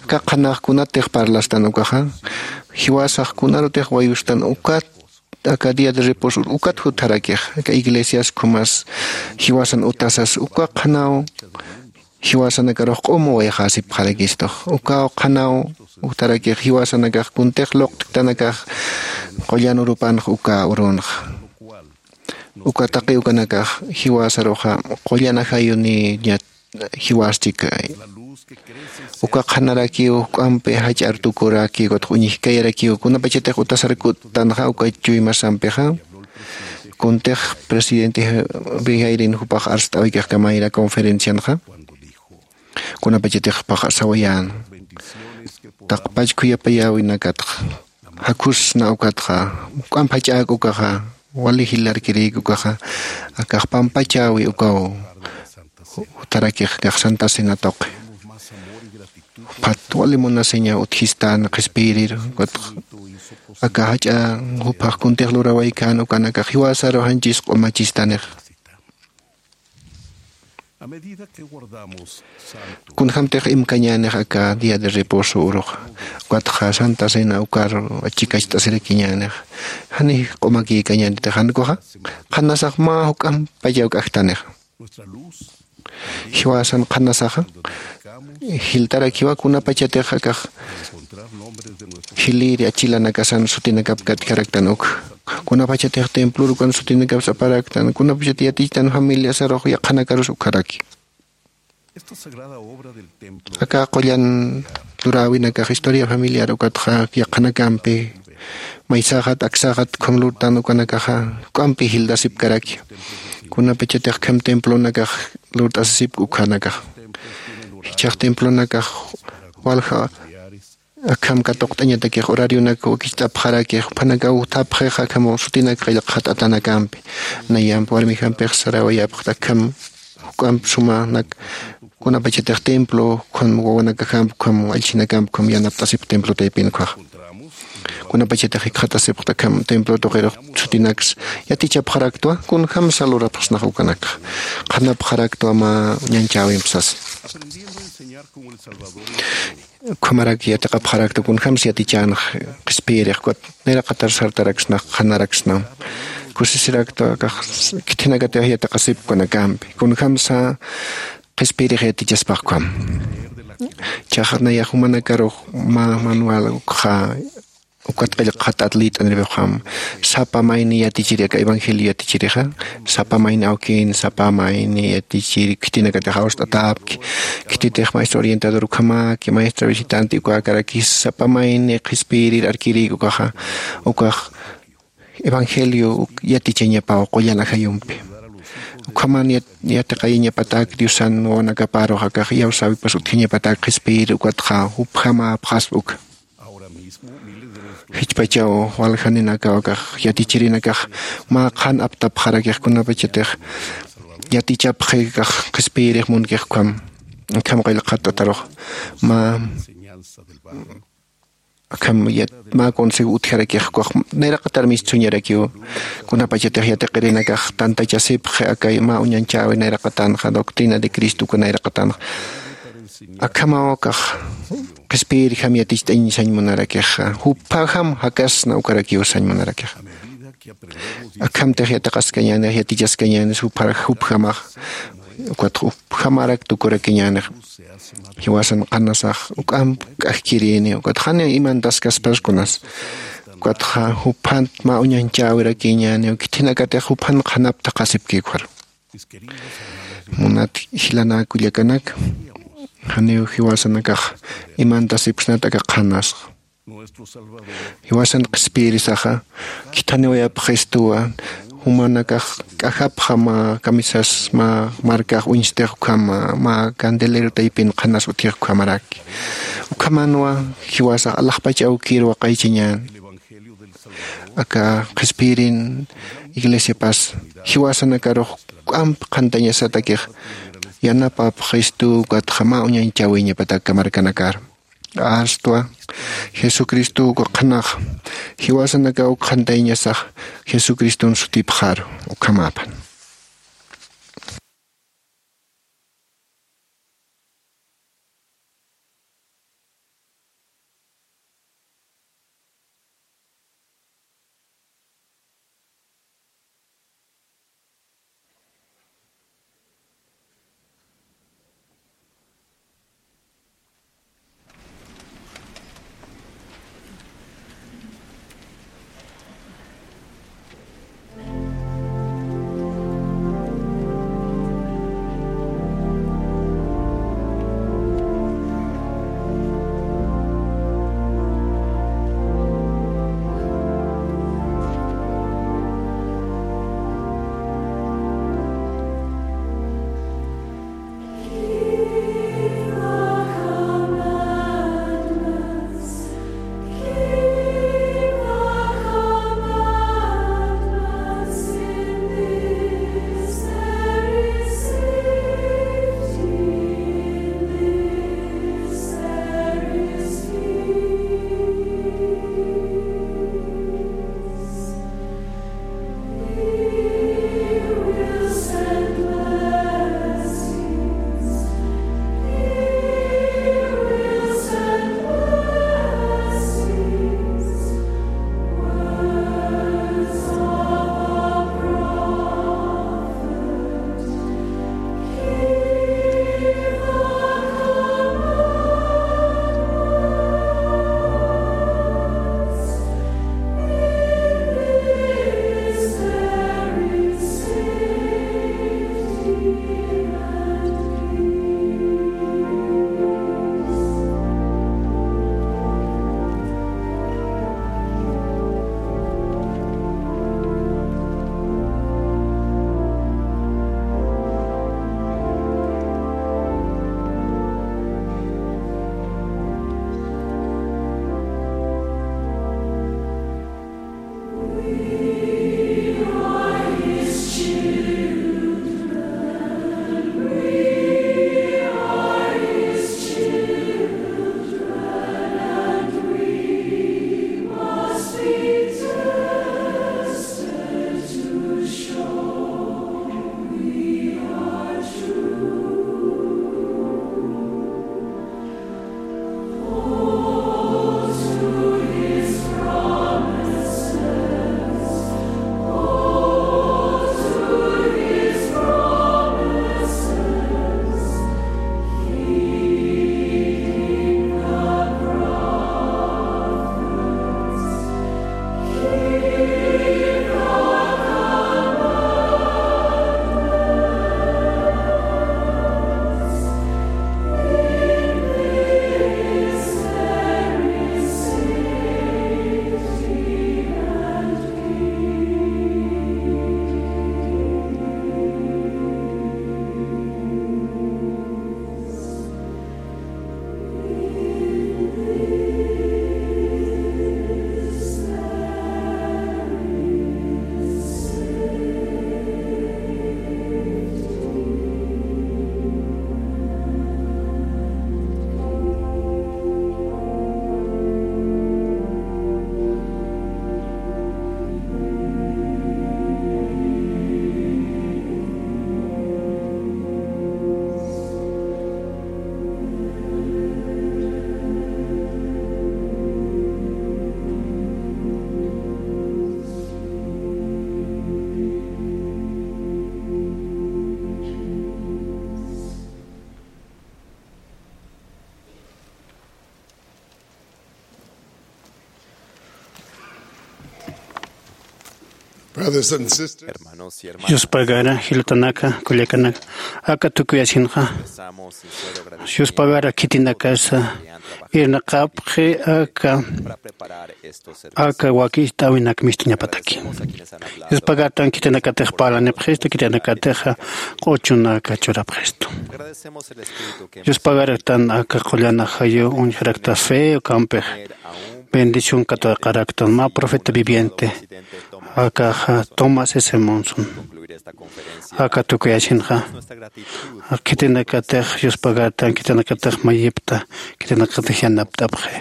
Aka qhanax kunatix parlastan ukaxa jiwasax kunarutix wayustan ukat aka día de reposo ukat jutharakix aka iglesias khumas jiwasan utasas uka qhanaw jiwasanakarux q'umu wayxäsipxarakistux ukaw qhanaw jutharakix jiwasanakax kuntix luqt'ktanakax qullan urupanx uka urunxa uka taqi ukanakax jiwasaruxa qullan ajayuniñat jiwasti kay uka qhanarakiw juk'ampi jach'ar tukuraki ukatx uñjkayarakiw kunapachatix utasar kuttanxa uka chuymasampixa kuntix presidente bijayrin jupax arst'awikix kamayra conferencianxa kunapachatix jupax sawayän taqpach khuyapayäwinakatxa jakhusna ukatxa juk'amp jach'äk ukaxa wali jilarkirïk ukaxa akax pampachäwi ukaw jutarakix akax santa cena tuqi juphat wali munasiña utjistan qhispiyirir ukatxa aka jach'a juphax kuntix lurawaykan ukanakax jiwasaru janchis q'umachistanix. Kunjämtix imkañänix aka día de reposo uruxa ukatxa santa cena ukar chikacht'asirakiñänix jani q'umakïkañänitix jan ukaxa qhanasax mä juk'ampa yawk'ajtanix jiwasan qhanasaxa jiltarakiwa kunapachatix akax jilïri achilanakasan sutinakap katkaraktan uk kunapachatix templor ukan sutinakap saparaktan kunapachat yatichtan familiasarux yaqhanakarus ukharaki. Aka qullan luräwinakax historia familiar ukatxa yaqhanakampi maysaxat aksaxat ukham lurtan ukanakaxa juk'ampi jiltasipkaraki. Kunapachatix akham templonakax lurt'asisipki ukhanakax. Jichhax templonakax walja akham katuqt'añatakix horarionak wakicht'apxarakix, juphanakaw thapxixa akham sutinak qillqxat'atanakampi. Nayamp warmijampix sarawayapxta akham juk'amp sumanak kunapachatix templo ukham wawanakajamp ukham allchhinakamp ukham yanapt'asipx templo taypin ukhaxa. Kunapachatix jikxatasipxta akham templo tuqirux sutinaks yatichapxaraktwa, kunjamsa lurapxsnax ukanakxa. Qhanapxaraktwa mä ñanchäwimp sasa. Ukhamarak yatiqapxarakta kunjamsa yatichänx qhispiyirix, ukat nayraqatar sartaraksnax, qhanaraksnam. Kusisiraktwa akax khithinakatix yatiqasipki ukanakampi. Kunjamsa qhispiyirix yatichaspax ukham. Jichhax nayax jumanakarux mä manual ukxa ukat qillqxat'at liyt'aniripxam. Sapa mayni yatichiri aka evangelio yatichirixa, sapa mayni awkin, sapa mayni yatichiri khitinakatix awst'atäpki. Khititix maestro orientador ukhamaki, maestra visitante ukäkarakis, sapa mayni qhispiyirir arkirïki ukaxa, ukax evangelio uk yatichañapaw qullan ajayumpi. Ukhaman yat-, yatiqayañapatäk Diosan wawanakaparux akax iyawsäwipas utjañapatäk qhispiyir ukatxa jupjamäpxaspa uka. Jichhpachaw waljaninakaw akax yatichirinakax mä qhan aptapxarakix kunapachatix yatichapxi akax qhispiyirix munkix ukham, akham qillqat'atarux mä akham yat-, mä consejo utjarakix ukax nayraqatar mistsuñarakiw. Kunapachatix yatiqirinakax tantachasipxi akay mä uñanchäwi nayraqatanxa, doctrina de Cristo uka nayraqatanxa. Akhamaw akax qhispiyirjam yaticht'añ sañ munarakixa, jupajam jakasna ukarakiw sañ munarakixa. Akhamtix yatiqaskañänix, yatichaskañänix, jupjar-, jupjamax, ukat jupjamarak tukurakiñänix. Jiwasan qhanasax juk'amp k'ajkirïni, ukat janiw imantaskaspas kunas. Ukatxa juphan mä uñanchäwirakïñäniw, khithinakatix juphan qhanap thaqhasipki ukhar. Munat jilanä kullakanak, janiw jiwasanakax imantasipksnat aka qhanasxa. Jiwasan qhispiyirisaxa khithaniwayapxistuwa, jumanakax k'ajapxa mä camisas, mä markax uñstix ukhama, mä candelero taypin qhanas utjix ukhamaraki. Ukhamanwa jiwasax alaxpach awkir waqaychañän. Aka qhispiyirin iglesiapas jiwasanakarux juk'amp qhantañasatakix yanapapxistu, ukatxa mä uñañchäwiñapatak aka markanakar. Astwa Jesucristo uka qhanax jiwasanakaw qhantayañasax Jesucriston sutipxaru. Ukhamäpan. Brothers and sisters, yuspagara jilatanaka kullakanaka, aka tukuyasinxa yuspagara khitinakasa irnaqapxi aka aka wakicht'äwinak mistuñapataki. Yuspagartan khitinakatix parlanipxistu, khitinakatix q'uchunaka churapxistu. Yuspagartan aka qullan ajayu uñjarakta fe ukampix bendición katuqaraktan mä profeta viviente akaxa Thomas S Monson. Aka tukuyasinxa khitinakatix yuspagartan, khitinakatix mayipta, khitinakatix yanapt'apxi.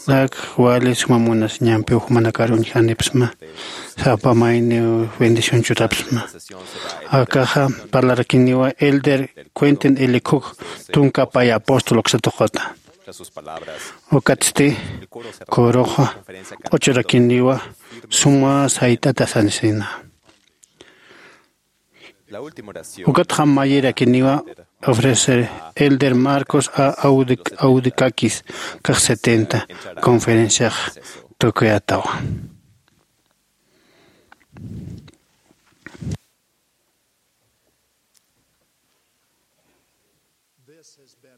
Ak wali suma munasiñampiw jumanakar uñjanipsma, sapa mayniw bendición churapsma. Akaxa parlarakiniwa elder Quentin L Cook, tunka pay apóstol uksatuqata. Ukatsti kuruxa q'uchurakiniwa suma sayt'atasanisina. Ukatxa mayirakiniwa ofrecer elder Marcos A Audikakis kax setenta conferenciax tukuyatawa.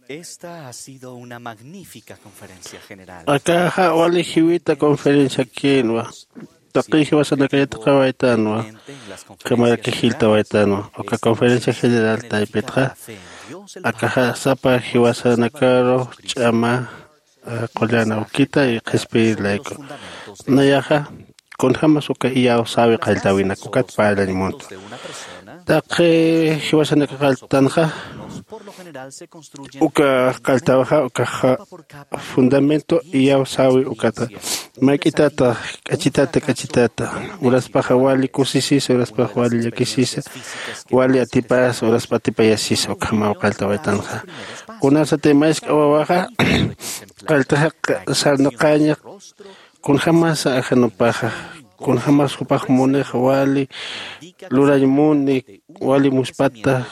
Esta ha sido una magnífica conferencia general. Akaxa wali jiwita conferencia kinwa. Taqi jiwasanaka yatiqawaytanwa, kamaraki jiltawaytanwa uka conferencia general taypitxa. Akaxa sapa jiwasanakaru ch'ama qullan awkita y qhispiyir layku. Nayaxa kunjämas uka iyawsäwi qalltäwinak ukat parlañ muntwa. Taqi jiwasanaka qalltanxa uka qalltäwixa ukaxa fundamento iyawsäwi ukata. Mayk'itata k'achitata k'achitata uraspaxa wali kusisisa uraspaxa wali llakisisa, wali atipasa uraspa atipayasisa ukhamaw qalltäwaytanxa. Kunasatay mask'a wawaxa qalltaxa sarnaqaña kunjämasa ajanupaxa, kunjämas jupax munix wali lurañ muni wali muspata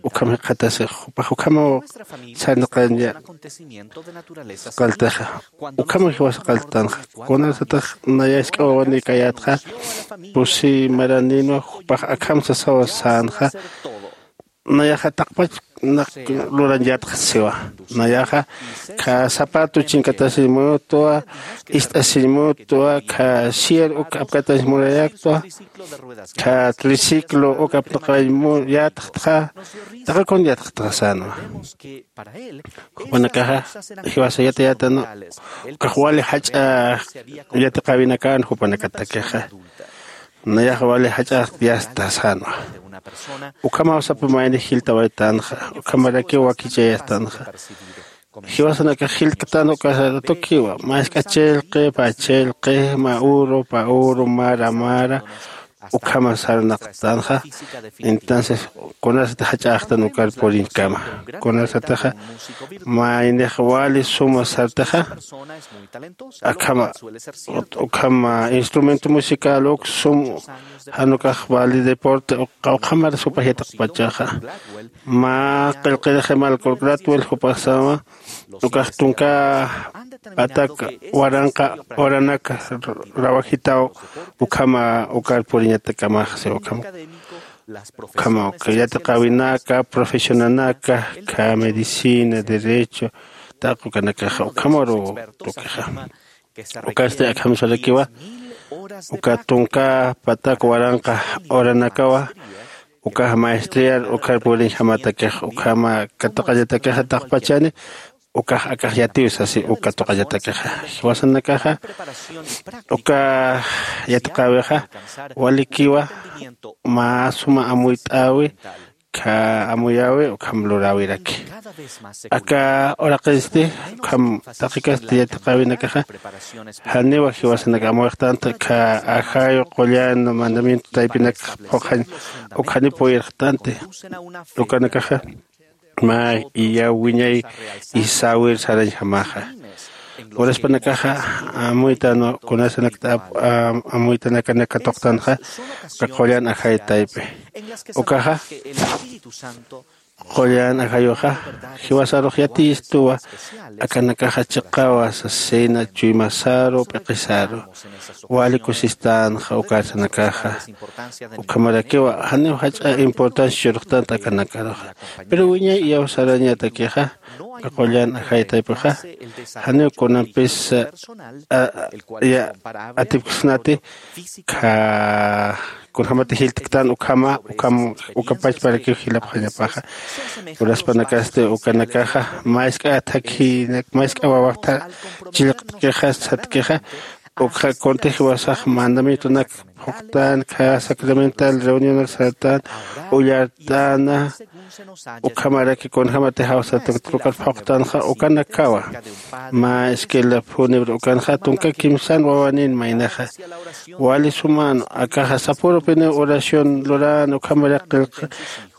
ukham jikxatasix jupax ukhamaw sarnaqaña. Qalltaxa ukhamaw jiwasa qalltanxa. Kunasatax nayask'a wawanikayätxa pusi maraninwa jupax akham sasawa sänxa. Nayaxa taqpach lurañ yatxasiwa. Nayaxa kha zapato chinkatasiñ mutwa, ist'asiñ mutwa, kha sier uk apkatañ murayaktwa, kha triciclo uk apnaqañ yatxtxa. Taqi kun yatxtxa sänwa. Jupanakaxa jiwasa yatayätanwa ukax wali jach'a yatiqäwinakan jupanakatakixa. Nayax wali jach'ax yasta sänwa. Ukhamaw sapa mayni jiltawaytanxa, ukhamarakiw wakichayastanxa. Jiwasanakax jilktan ukasaratukiwa mask'a chillqi pä chillqi mä uru pä uru mara mara. Ukhama sarnaqtanxa. Entonces kunasat jach'axtan ukar puriñkama, kunasataxa maynix wali suma sartaxa. Akhama ukhama instrumento musical uk sum janukax wali deporte uka ukhamar supax yataqpachaxa. Mä qillqiriximal kurkratwil jupaxsama ukax tunka patak waranqa uranaka rawajitaw. Ukhama ukar puriñatakamaxsi ukhama ukhama uka yatiqäwinaka profesionanaka kha medicina derecho taqi ukanakaxa ukhamaru tukixa. Ukasti akham sarakiwa uka tunka patak waranqa uranakawa ukax maestriar ukar puriñjamatakix ukhama katuqañatakixa taqpachani. Ukax akax yatiw sasi uka tuqañatakixa jiwasanakaxa uka yatiqäwixa walikiwa mä suma amuyt'äwi. Kha amuyäwi ukham luräwiraki aka uraqinsti ukham taqikasti yatiqäwinakaxa. Janiwa jiwasanaka amuyxtanta kha ajayu qullan mandamiento taypinak phuqhañ ukhani puyirxtanti. Ukanakaxa mä iyaw wiñay isäwir sarañjamaxa. Uraspanakaxa amuytanwa kunasanakta amuytanakanak katuqtanxa. Uka qullan ajay taypi ukaxa Qullan ajayuxa jiwasarux yatiyistuwa. Akanakaxa chiqawa sasina chuymasaru p'iqisaru. Wali kusistanxa ukarsanakaxa ukhamarakiwa janiw jach'a importancia churxtanta akanakaruxa. Pero wiñay iyawsarañatakixa qullan ajaytaypixa janiw kunampis atipksnati. Kha kunjämati jiltktan ukhama ukham ukapachparakiw jilapxañapaxa. Uraspanakasti ukanakaxa mä isk'a thakhinak mä isk'a wawaxta chillqtkixa satkixa. Ukxa kunti jiwasax mandamientonak phuqtan kha sacramental reunionak sartan ullart'ana. Ukhamaraki kunjämati jawsataktukat phuqtanxa ukanakawa. Mä esquela fúnebre ukanxa tunka kimsan wawanin maynaxa. Wali suman akaxa sapurupiniw oración luran ukhamarak qillq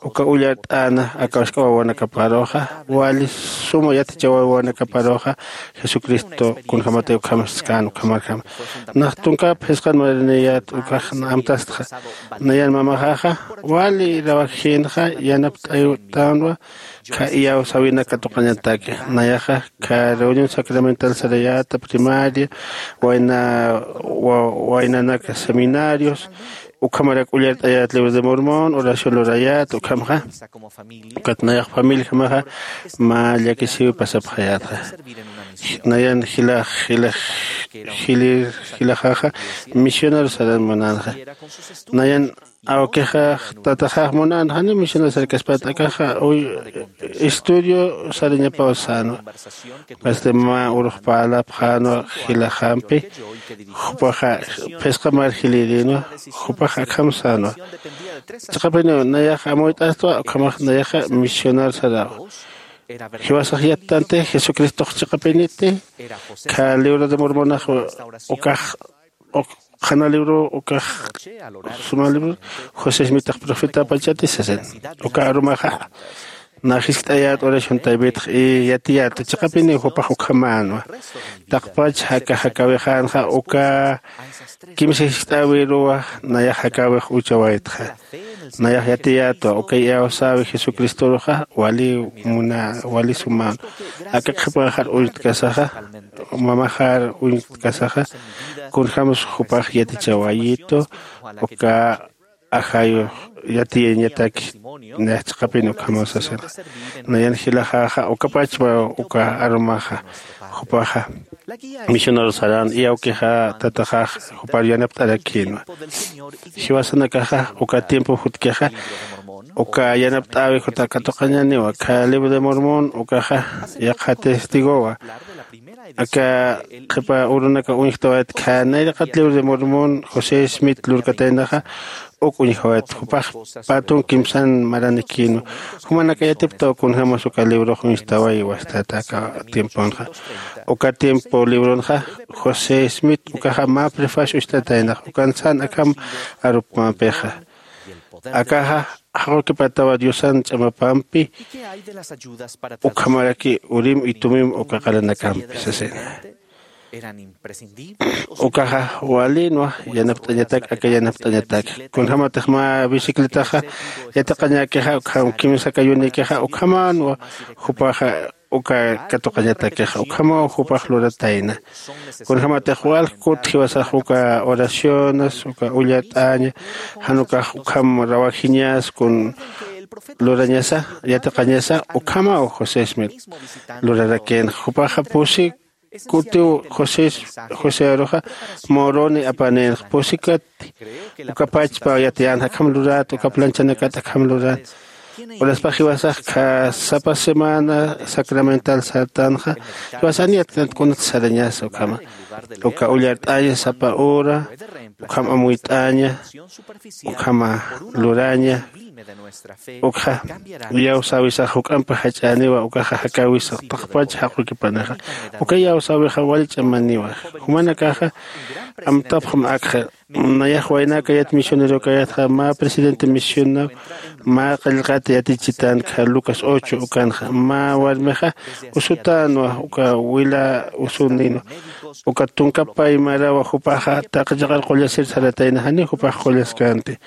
uka ullart'ana aka usk'a wawanakaparuxa wali suma yatichaw wawanakaparuxa. Jesucristo kunjämati ukhamskan ukhamarjama nax tunka phisqan mariniyät ukax amtastxa. Nayan mamaxaxa wali rawajinxa yanapt'aytanwa. Kha iyawsäwinak katuqañataki nayaxa kha reunión sacramental sarayäta primaria wayna waynanaka seminarios ukhamarak ullart'ayät libro de mormón oración lurayät ukhamxa. Ukat nayax familijamaxa mä llakisiw pasapxayätxa. Nayan jilax jilax jilir jilaxaxa misionero saran munanxa. Nayan awkixax tataxax munanxa ni misionero sarkaspat akaxa uy estudio sarañapaw sänwa. Pasti mä urux parlapxänwa jilaxampi jupaxa phisqa marjilïrinwa. Jupax akham sänwa. Chiqapiniw nayax amuyt'astwa ukhamax nayaxa misionar saraw. Jiwasax yattanti jesucristox chiqapiniti kha libro de mormonax ukax qhana libro ukax suma libro josé ismitax profetapachati sasin. Uka arumaxa nax jiskt'ayät oración taypitx y yatiyät chiqapiniw jupax ukhamänwa. Taqpach jaka jakawixänxa uka kimsa jiskt'äwiruwa. Nayax jakawix uchawaytxa nayax yatiyätwa uka iyawsäwi jesucristoruxa wali muna wali sumänwa. Aka qhipanxar uñtkasaxa mamaxar uñtkasaxa kunjämsa jupax yatichawayitu uka ajayux yatiyañataki. Nayax chiqapin ukhamaw sasinxa nayan jilaxaxa ukapachpa uka arumaxa jupaxa misionero saran iyawkixa tataxax jupar yanapt'arakïnwa. Jiwasanakaxa uka tiempo jutkixa uka yanapt'äwi juta katuqañäniwa kha libro de mormón ukaxa yaqha testigowa. Aka qhipa urunaka uñjtawayat kha nayraqat libro de mormón josé smith lurkataynaxa uk uñjawayat jupax patun kimsan maranikïnwa. Jumanaka yatiptaw kunjämas uka librox uñjtaway wastata aka tiemponxa uka tiempo libronxa josé smith ukaxa mä prefacio ucht'ataynax ukan san akham arupmampixa. Akaxa jaqukipatawa diosan ch'amapampi ukhamaraki urim y tumim uka qaranakampi sasina. Ukaxa walinwa yanapt'añatak aka yanapt'añatak kunjämatix mä bicicletaxa yatiqañäkixa ukham kimsakayunikixa ukhamänwa jupaxa uka katuqañatakixa ukhamaw jupax luratayna. Kunjämatix walj kut jiwasax uka oraciones uka ullart'aña jan ukax ukham rawajiñas kun lurañasa yatiqañasa ukhamaw josé smith lurarakïnxa jupaxa pusi kutiw josé josé aruxa moroni apanïnxa pusi katti uka pachpa yatiyänxa akham luräta uka planchanakat akham luräta. Uraspax jiwasax kha sapa semana sacramental sartanxa jiwasan yatkanti kunat sarañasa ukhama uka ullart'aña sapa hora ukham amuyt'aña ukhama luraña ukxa iyawsäwisax juk'ampi jach'äniwa ukaxa jakäwisax taqpach jaqukipanixa uka iyawsäwixa wali ch'amaniwa. Jumanakaxa amtapxam akxa nayax waynakayat misionerokayatxa mä presidente misionaw mä qillqat yatichitan kha lucas ocho ukanxa mä warmixa usutänwa uka wila usuninwa uka tunka paymarawa jupaxa taqi chiqar qullasir saratayna janiw jupax qullaskänti.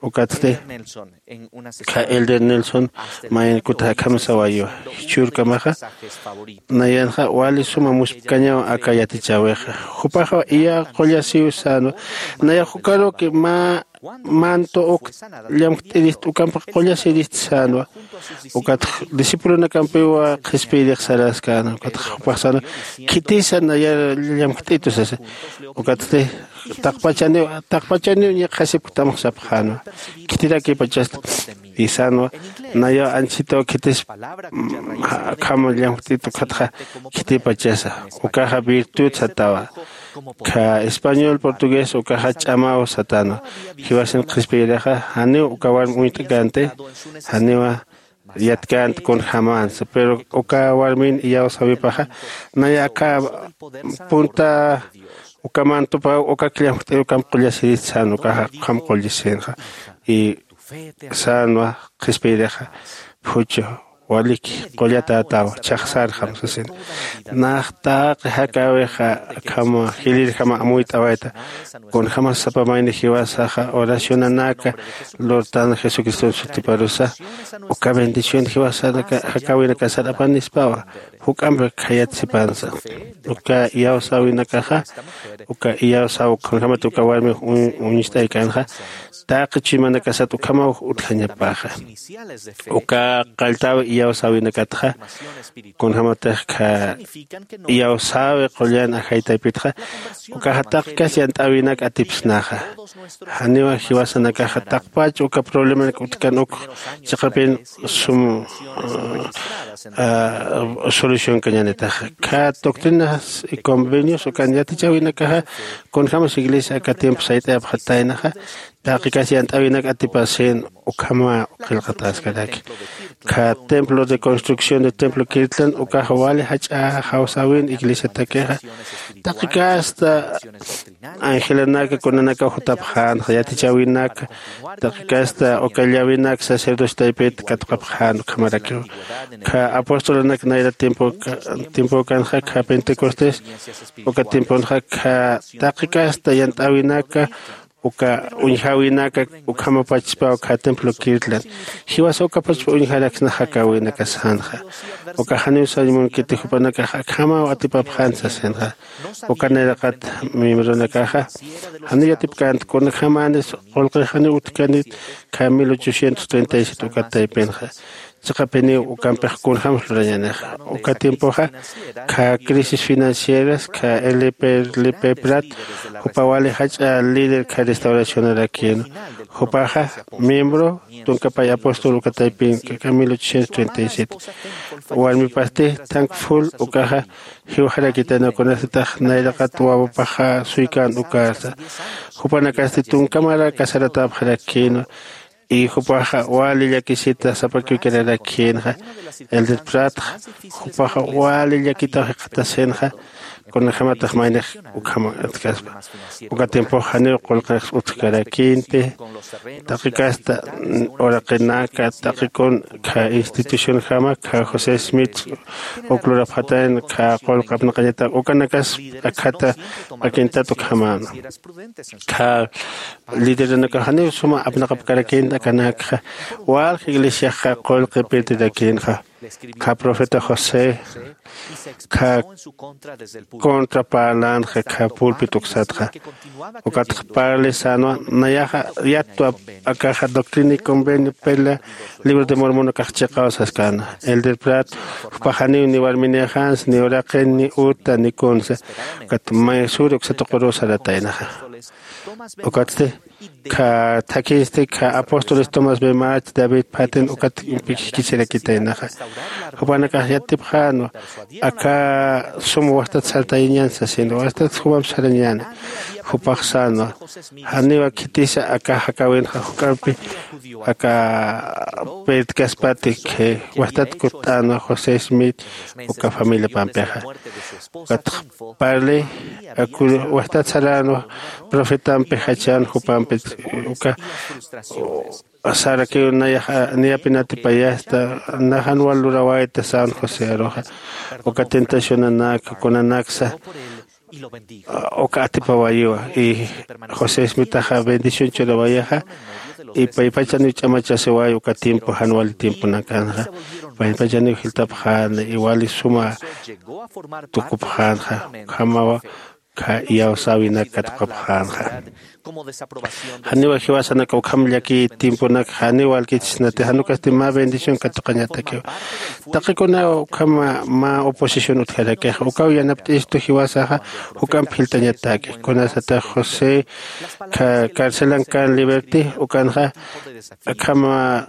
Ukatsti kha elder Nelson mayan kutaxa akham sawayiwa, jichhürkamaxa nayanxa wali suma muspkañaw aka yatichäwixa. Jupaxa iya qullasiw sänwa, nayax ukaruki mä manto uk llamkt'irist ukampi qullasirist sänwa. Ukat discipulonakampiwa qhispiyirix saraskänwa, ukat jupax sänwa khitisa nayar llamkt'itu sasa. Ukatsti taqpachaniw taqpachaniw ñiqhasipktamx sapxänwa, khitirakipachasta. Isänwa nayaw anchitaw khitis akham llamkt'itu ukatxa khitipachasa. Ukaxa virtud satawa, kha español portugués ukaxa ch'amaw satänwa. Jiwasin qhispiyirixa janiw uka warmi uñt'känti, janiwa yatkänti kunjämänsa, pero uka warmin iyawsäwipaxa naya aka punta uka mantupaw uka killamjt'ir ukamp qullasirist sän, ukaxa ukham qullasinxa. Y sänwa qhispiyirixa, phuchu, waliki, qullatätaw, chhaqsarxam sasin. Nax taqi jakäwixa akham jilïrjama amuyt'awayta. Kunjämas sapa mayni jiwasaxa oracionanaka lurtan Jesucriston sutiparusa, uka bendición jiwasanaka jakäwinakasar apanispawa. Juk'ampi khayat sipansa. Uka iyawsäwinakaxa, uka iyawsäw kunjämat uka warmi uñ- uñst'aykänxa, taqi chuymanakasat ukhamaw utjañapaxa. Uka qalltäwi iyawsäwinakatxa, kunjämatix kha iyawsäwi qullan ajay taypitxa, ukaxa taqi kas yant'äwinak atipsnaxa. Janiwa jiwasanakaxa taqpach uka problemanak utjkan uk chiqapin sum solucionkañänitaxa. Kha doctrinas y convenios ukan yatichäwinakaxa, kunjämas iglesia aka tiempo sayt'ayapxataynaxa, taqi kas yant'äwinak atipasin ukhama qillqatäskaraki. Kha templo de construcción de templo Kirtland ukaxa wali jach'a jawsäwin iglesiatakixa, taqi kasta angelanaka kunanakaw jutapxänxa, yatichäwinaka, taqi kasta uka llavinak sacerdocio taypit katuqapxän ukhamarakiw. Kha apostolanak nayra tiempo tiempokanxa kha Pentecostés uka tiemponxa kha taqi kasta yant'äwinaka, uka uñjäwinaka ukhamapachispaw kha templo Kirtland. Jiwasa ukapachpa uñjaraksna jakäwinaka sänxa. Uka janiw sañ munkiti jupanakax akhamaw atipapxän sasinxa. Uka nayraqat miembronakaxa janiw yatipkänti kunjämänis qullqix janiw utjkanit kha mil ochocientos treinta y siete uka taypinxa. Chiqapiniw ukampix kunjämsa lurañänixa. Uka tiempoxa kha crisis financieras kha L P L P Prat jupa wali jach'a líder kha restauracionarakïnwa. Jupaxa miembro tunka pay apóstol uka taypin kha mil ochocientos treinta y siete. Warmipasti Thankful ukaxa jiwxarakitayna kunasatix nayraqat wawapaxa suykän ukarsa. Jupanakasti tunka mara casaratäpxarakïnwa. Y jupaxa wali llakisita sapakiwkirarakïnxa. Elder Pratxa jupaxa wali llakitaw jikxatasinxa. Kunjämatax maynix ukhama atkaspa. Uka tiempox janiw qullqix utjkarakïnti. Taqi kasta uraqinaka taqi kun kha institucionjama kha José Smith uk lurapxatayna kha qullq apnaqañatak ukanakas akhata p'akintat ukhamäna. Kha lideranakax janiw suma apnaqapkarakïnti akanakxa. Walja iglesiaxa qullqi pirtirakïnxa. Kha profeta José kha contra parlänxa kha pulpit uksatxa. Ukatxa parli sänwa nayaxa yattwa akaxa Doctrina y Convenio pela Libro de Mormonakax chiqaw saskänwa. Elder Prat jupax janiw ni warminïxänsa ni uraqin ni uta ni kunsa. Ukat may suri uksa tuqurü sarataynaxa. Ukatsti kha thakhinsti kha apóstoles Thomas B March, David Patten ukat impikisirakitaynaxa. Jupanakax yatipxänwa aka sum wastat sartayañän sasin, wastat jumamp sarañäni. Jupax sänwa janiwa khitisa aka jakäwinxa juk'ampi aka pirtkaspati wastat kutt'änwa José Smith uka familiapampixa. Ukatxa parli aku wastat saränwa profetampi jachän jupampit uka sarakiw nayaxa niyapin atipayasta naxan wal lurawayta sän José aruxa. Uka tentacionanaka kunanaksa uka atipawayiwa y José Smithaxa bendición churawayaxa. Y paypachaniw ch'amachasiway uka tiempo jan wali tiemponakanxa. Paypachaniw jiltapxäna y wali suma tukupxänxa. Ukhamawa kha iyawsäwinak katuqapxänxa. Janiwa jiwasanaka ukham llaki tiemponak janiw walkichisnati, jan ukasti mä bendición katuqañatakiwa. Taqikunaw ukhama mä oposición utjarakixa, ukaw yanapt'istu jiwasaxa juk'amp jiltañataki. Kunasatix José kha carcelan kan Liberty ukanxa akhama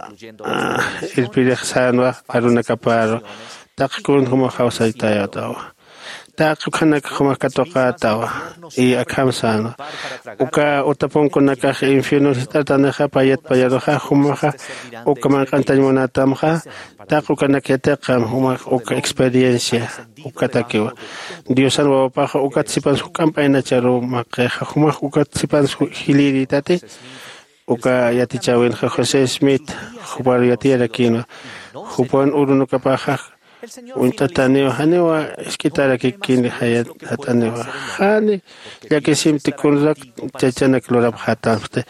irpirix sänwa arunakaparu. Taqi kun jumax jawsaytayatawa. Taqi ukhanak jumax katuqätawa. Y akham sänwa uka utapunkunakax infierno jist'artanixa payat payaruxa jumaxa uka manq'antañ munätamxa. Taqi ukanak yatiqam jumax uka experiencia ukatakiwa. Diosan wawapaxa ukat sipans juk'amp aynacharu maqixa jumax ukat sipans jilïritati. Uka yatichäwinxa José Smith jupar yatiyarakïnwa. Jupan urunukapaxa uñt'ataniwa, janiwa isk'itarakikini jayat jat'aniwa. Jani llakisimti kunrak chachanak lurapxätamsti.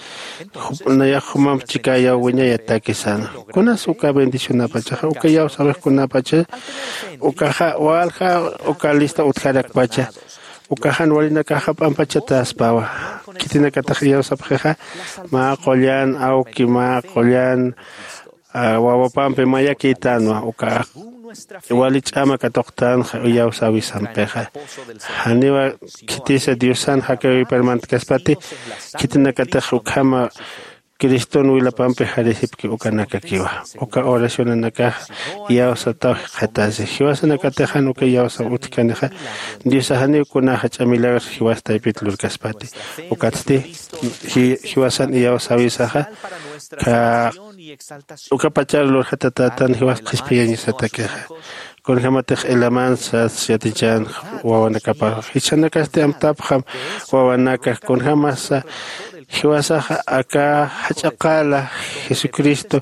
Nayax jumamp chikayaw wiñayataki sänwa. Kunas uka bendicionapachaxa uka iyawsäwixkunapacha ukaxa walja uka lista utjarakpacha. Uka jan walinakaxa p'ampachatäspawa. Khitinakatix iyawsapxixa mä qullan awki mä qullan wawapampi mayakïtänwa uka wali ch'ama katuqtänxa iyawsäwisampixa. Janiwa khitisa diosan jakäwipar mantkaspati. Khitinakatix ukhama criston wilapampi jarisipki ukanakakiwa. Uka oracionanakax iyawsataw jikxatasi jiwasanakatix jan uka iyawsaw utjkanixa. Diosax janiw kuna jach'a milagr jiwas taypit lurkaspati. Ukatsti jiwasan iyawsäwisaxa kha ukapachar lurjatatätan jiwas qhispiyañasatakixa. Kunjämatix elaman sas yatichän wawanakaparu jichhanakasti amtapxam wawanaka kunjämasa jiwasaxa aka jach'a qala jesucristo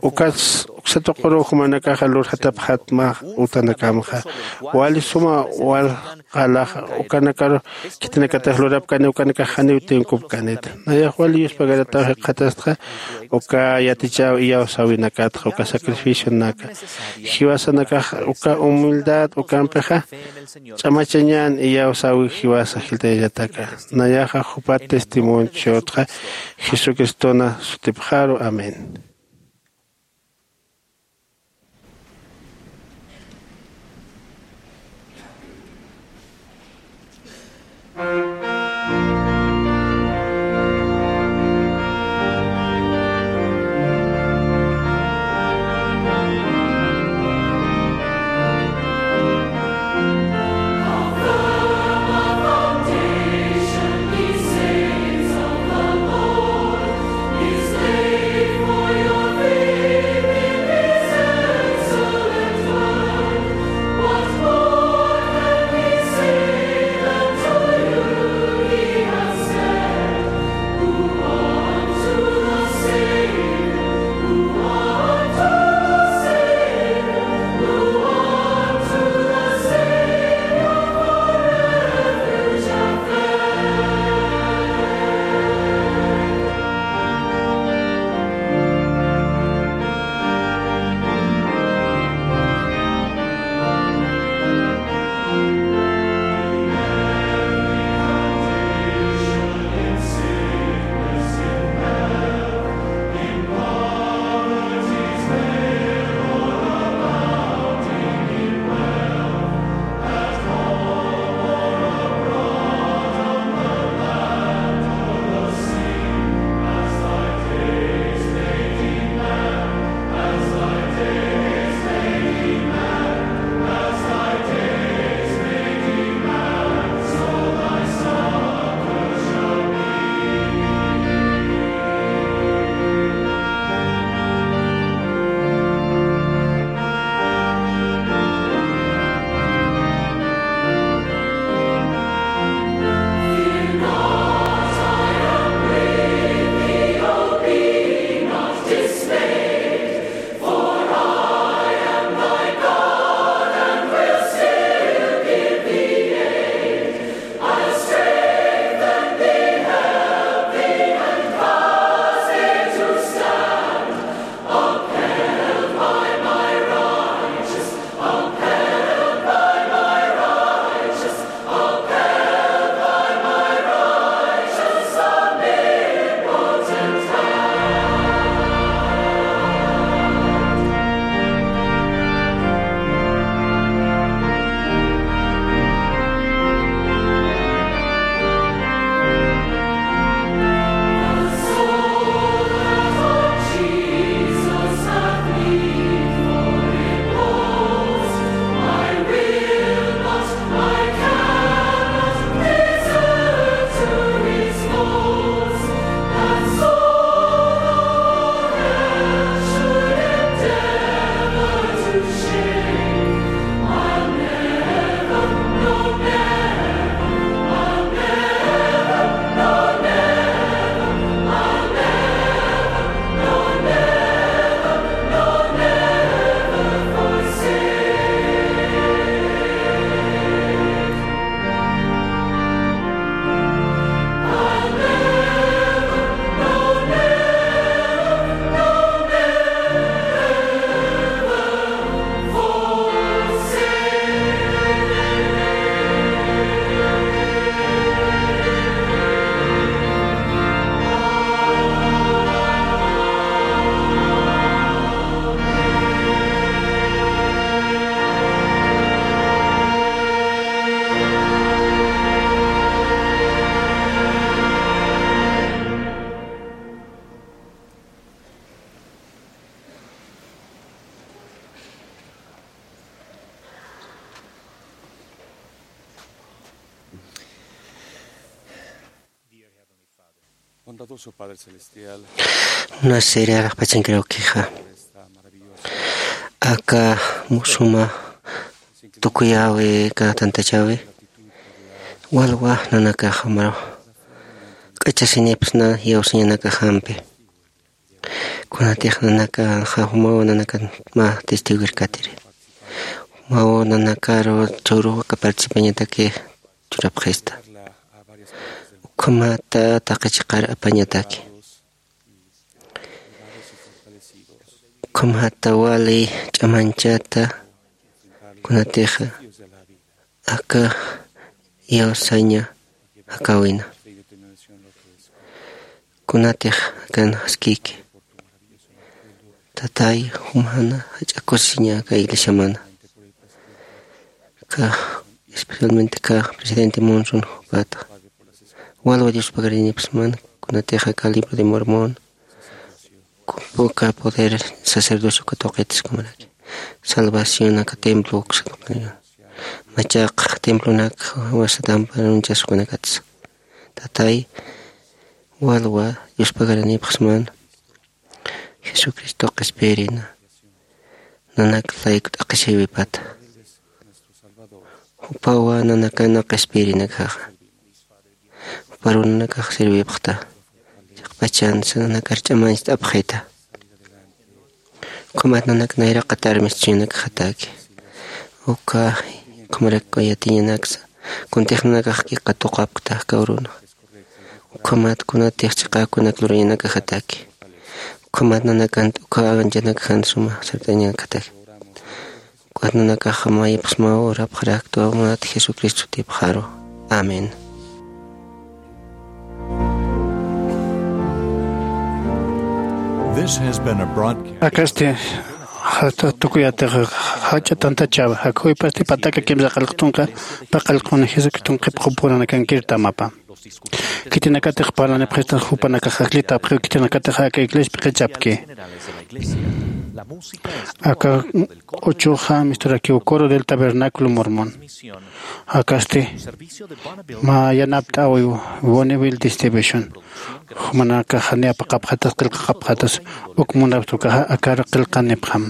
ukas uksa tuquruw jumanakaxa lurjatapxatma. Utanakamxa wali suma wal qalaxa ukanakaru khitinakatix lurapkani ukanakax janiw tinkupkanita. Nayax wali yuspagarataw jikxatastxa uka yatichäw iyawsäwinakatxa uka sacrificionaka jiwasanakax uka humildad ukampixa ch'amachañän iyawsäwi jiwasa jiltayañataka. Nayaxa jupat testimonchotxa jesucristona sutipxaru amén. Munasiri araqpachankiraukixa. Aka musuma tukuyawi aka tantachawi walwa nanakaxa maru k'achasinipsna yawsañanakaxampi. Kunatix nanaka jumawa nanakan mä testigo irkatiri. Jumawa nanakaru churu aka participañataki churapxista. Ukhamata taqi chiqar apañataki. Ukhamata wali ch'amanchata kunatixa aka yawsaña jakawina. Kunatix akan jaskiki. Tatay jumana jach'a kusiña aka iglesiamana. Ka especialmente ka presidente Monson jupata. Walwa Dios pagarinipsman kunatixa aka libro de Mormon. Uka poder sacerdocio katuqitiskumaraki. Salvación aka templo uksa. Machaq templonak wasatampar unchaskunakatsa. Tatay walwa Dios pagarinipxsman. Jesucristo qhispirina. Nanak layku t'aqhisïwipata. Jupawa nanakana qhispirinakaxa. Juparu nanakax sirvipxta. Chiqpachansa nanakar ch'amanchta apxita. Ukhamat nanak nayraqatar mistuñanakaxataki. Uka ukhamaraki yatiñanaksa. Kuntix nanakax kiqa tuqapkta kawruna. Ukhamat kunatix chiqakunak lurañanakaxataki. Ukhamat nanakan t'ukha anchanakaxan suma sart'añanakaxataki. Ukat nanakax mayipxsmaw urapxaraktu munat Jesucristo sutipxaru. Amén. This has been a broadcast. Akasti jata tukuyatix jach'a tantachawa jakhuwipasti pataka kimsa qillqtunqa paqallquna Jesucriston qhipqupuranakan kirtamapa. Khitinakatix parlanipxistan jupanakax ajllitapxiw khitinakatix aka iglesiaspi qhichapki. Aka q'uchuxa misturakiw coro del tabernáculo Mormon. Akasti mä yanapt'äwiw Bonneville Distribution. Jumanakax jani apaqapxatas qillqaqapxatas uk munapxta ukaxa akar qillqanipxam.